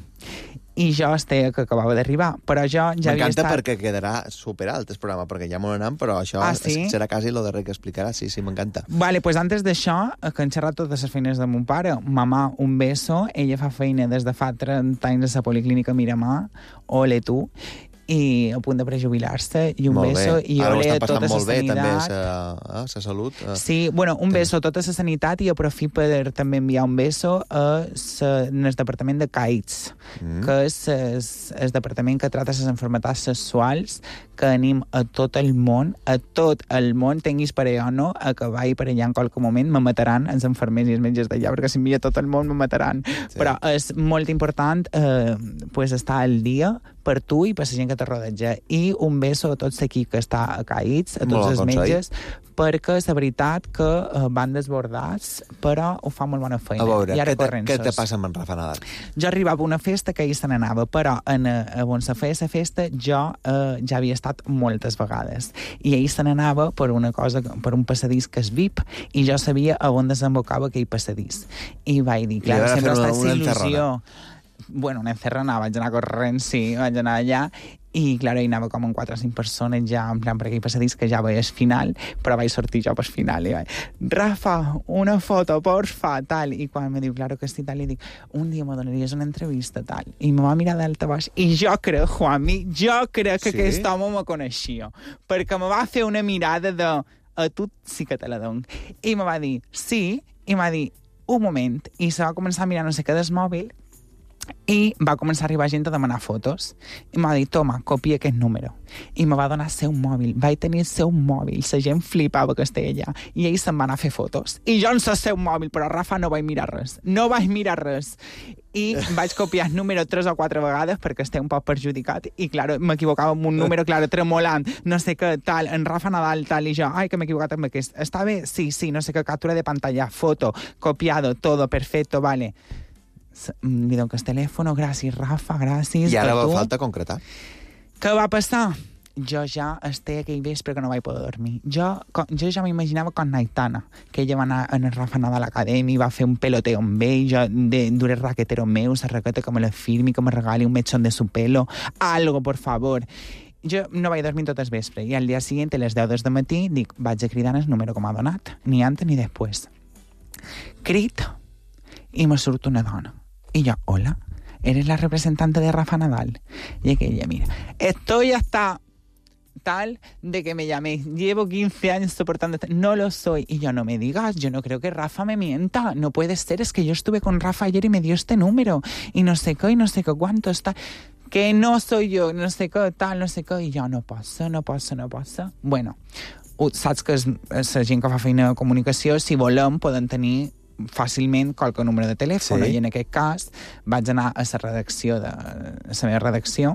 I jo que acabava d'arribar, però jo ja havia estat... M'encanta perquè quedarà superalt el programa, perquè ja m'ho anam, però això serà quasi lo darrer que explicarà. Sí, m'encanta. Vale, pues antes d'això, que han xerrat totes les feines de mon pare, mamà, un beso, ella fa feina des de fa 30 anys a la Policlínica Miramar, ole tu, i a punt de prejubilar-se, i un beso, i ara ho ole estan a tota passant la molt bé, sanitat. també, la salut. Sí, bueno, un beso a tota la sanitat i aprofit per també enviar un beso en el departament de CAITS, que és el departament que trata les enfermetats sexuals, que anim a tot el món, tinguis parella o no, a que vagi per allà en qualque moment, me mataran els enfermers i els metges d'allà, perquè si envia tot el món me mataran. Sí. Però és molt important estar al dia per tu i per la gent que te rodeja. I un beso a tots aquí que està a CAITS, a tots els metges, perquè és la veritat que van desbordats, però ho fa molt bona feina. A veure, què te passa amb en Rafa Nadal? Jo arribava a una festa que ell se n'anava, però on se feia la festa jo ja havia estat moltes vegades. I ell se n'anava per un passadís que és VIP, i jo sabia on desembocava aquell passadís. I vaig dir, clar, sempre està aquesta il·lusió. Bueno, una encerrona, vaig anar corrent, sí, vaig anar allà, i, clar, hi anava com en 4 o 5 persones ja, en plan, per aquell passadís que ja veies final, però vaig sortir jo per final, i vaig, Rafa, una foto, porfa, tal, i quan me diu, claro que sí, tal, li dic, un dia me donaries una entrevista, tal, i me va mirar d'alta baix, i jo crec, Juanmi, que aquest home me coneixia, perquè me va fer una mirada de, a tu sí que te la dono, i me va dir, sí, i me va dir, un moment, i se va començar a mirar no sé què del mòbil, i va començar a arribar gent a demanar fotos i m'ha dit, toma, copia aquest número, i me va donar el seu mòbil, vaig tenir el seu mòbil, la gent flipava que estava allà, i ell se'n va anar a fer fotos i jo en el seu mòbil, però Rafa no vaig mirar res, i vaig copiar el número 3 o 4 vegades perquè estava un poc perjudicat, i claro, m'equivocava amb un número, claro, tremolant, no sé què, tal, en Rafa Nadal, tal, i jo, ai, que m'he equivocat amb aquest, està bé? Sí, no sé què, captura de pantalla, foto, copiado, todo, perfecto, vale. Li dono el telèfon, gràcies, Rafa, gràcies. I ara falta concretar. Què va passar? Jo ja estic aquell vespre que no vaig poder dormir. Jo ja m'imaginava con Aitana, que ella va anar en el Rafa Nadal Academy, va fer un peloteo amb ell, jo dure raquetero meu, la raqueta que me la firmi, que me regali un mechón de su pelo, algo, por favor. Jo no vaig dormir tot el vespre, i al dia següent, a les 10 del matí, dic, vaig a cridar el número que m'ha donat, ni antes ni després. Crit, i me surt una dona. Y yo, hola, ¿eres la representante de Rafa Nadal? Y aquella, mira, estoy hasta tal de que me llaméis. Llevo 15 años soportando esto. No lo soy. Y yo, no me digas, yo no creo que Rafa me mienta. No puede ser, es que yo estuve con Rafa ayer y me dio este número. Y no sé qué, cuánto está. Que no soy yo, no sé qué, tal, no sé qué. Y yo, no passa. Bueno, saps que la gent que fa feina de comunicació, si volem, poden tenir fàcilment qualque número de telèfon, i en aquest cas vaig anar a la redacció a la meva redacció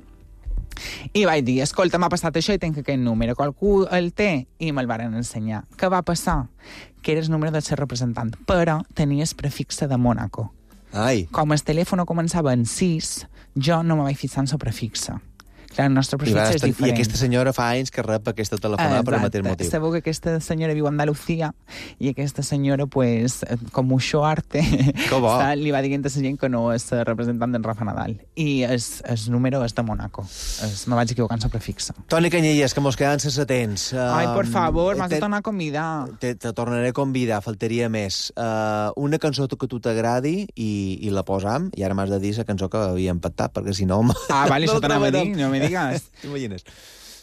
i vaig dir, escolta, m'ha passat això i tenc aquest número, qualcú el té? I me'l varen ensenyar. Què va passar? Que era el número del seu representant, però tenia el prefixe de Mónaco. Com el telèfon començava en 6, jo no me vaig fixar en el prefixe. Clar, el nostre prefixe és diferent. I aquesta senyora fa anys que rep aquesta telefonada per el mateix motiu. Sabeu que aquesta senyora viu a Andalucía i aquesta senyora, pues, com mucho arte, li va dient a la gent que no és representant d'en Rafa Nadal. I el número és de Mónaco. Me vaig equivocar en el prefixe. Toni Canyelles, que mos quedan sense temps. Ai, por favor, m'has de tornar a convidar. Te tornaré a convidar, faltaria més. Una cançó que tu t'agradi i la posam, i ara m'has de dir la cançó que havíem pactat, perquè si no... Vale, això t'anava a dir, no me digas. T'imagines?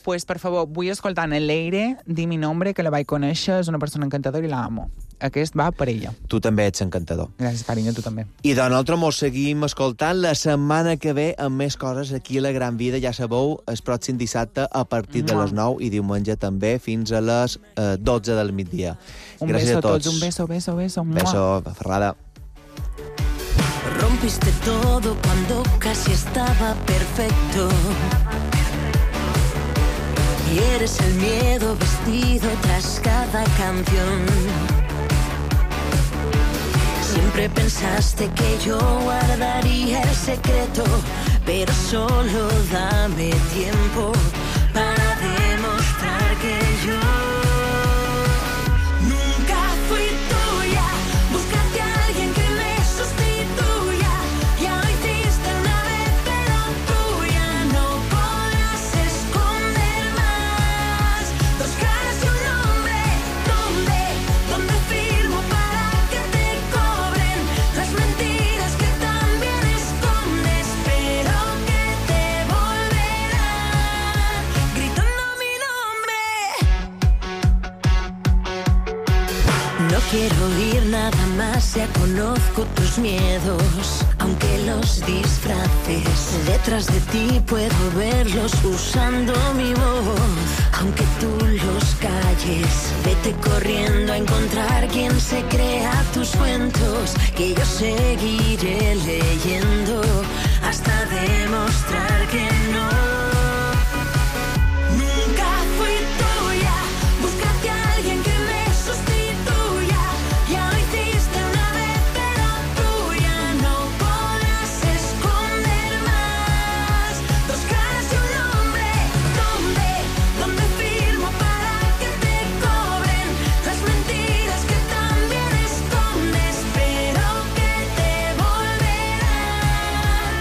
Pues, per favor, vull escoltar en Leire, Di mi nombre, que la vaig conèixer, és una persona encantadora i la amo. Aquest va per ella. Tu també ets encantador. Gràcies, carinyo, tu també. I de nosaltres mos seguim escoltant la setmana que ve amb més coses aquí a La Gran Vida. Ja sabeu, el pròxim dissabte a partir de les 9 i diumenge també fins a les 12 del migdia. Gràcies a tots. Un beso. Beso, Ferrada. Rompiste todo cuando casi estaba perfecto. Y eres el miedo vestido tras cada canción. Siempre pensaste que yo guardaría el secreto, pero solo dame tiempo para demostrar que yo nunca fui tuya. Búscate a alguien que me sustituya. Ya lo hiciste una vez, pero tuya no podrás esconder más. Dos caras y un nombre, ¿dónde firmo para que te cobren las mentiras que también escondes, pero que te volverán? Ya conozco tus miedos, aunque los disfraces. Detrás de ti puedo verlos usando mi voz. Aunque tú los calles, vete corriendo a encontrar quien se crea tus cuentos. Que yo seguiré leyendo hasta demostrar que no. Nunca fui tuya, búscate a alguien que me sustituya. Ya lo hiciste una vez, pero tú ya no podrás esconder más. Dos caras y un nombre, ¿dónde firmo para que te cobren las mentiras que también escondes, pero que te volverán?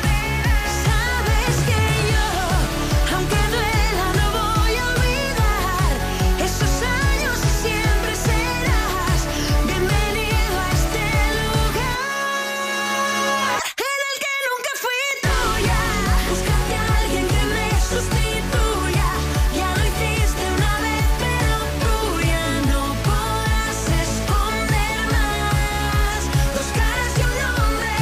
Sabes que yo, aunque duela, no voy a olvidar esos años y siempre serás bienvenido a este lugar en el que nunca fui tuya. Búscate a alguien que me sustituya. Ya lo hiciste una vez, pero tú ya no podrás esconder más. Dos caras y un nombre,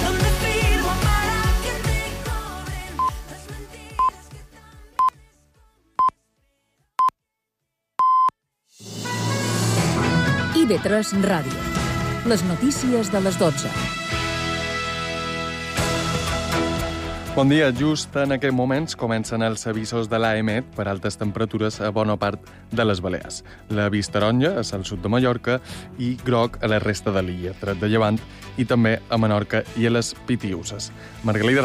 ¿dónde firmo para que te cobren las mentiras que IB3 Ràdio. Les notícies de les 12. Bon dia. Just en aquests moments comencen els avisos de l'AEMET per altes temperatures a bona part de les Balears. L'avís taronja és al sud de Mallorca i groc a la resta de l'illa, tret de Llevant, i també a Menorca i a les Pitiüses. Margalida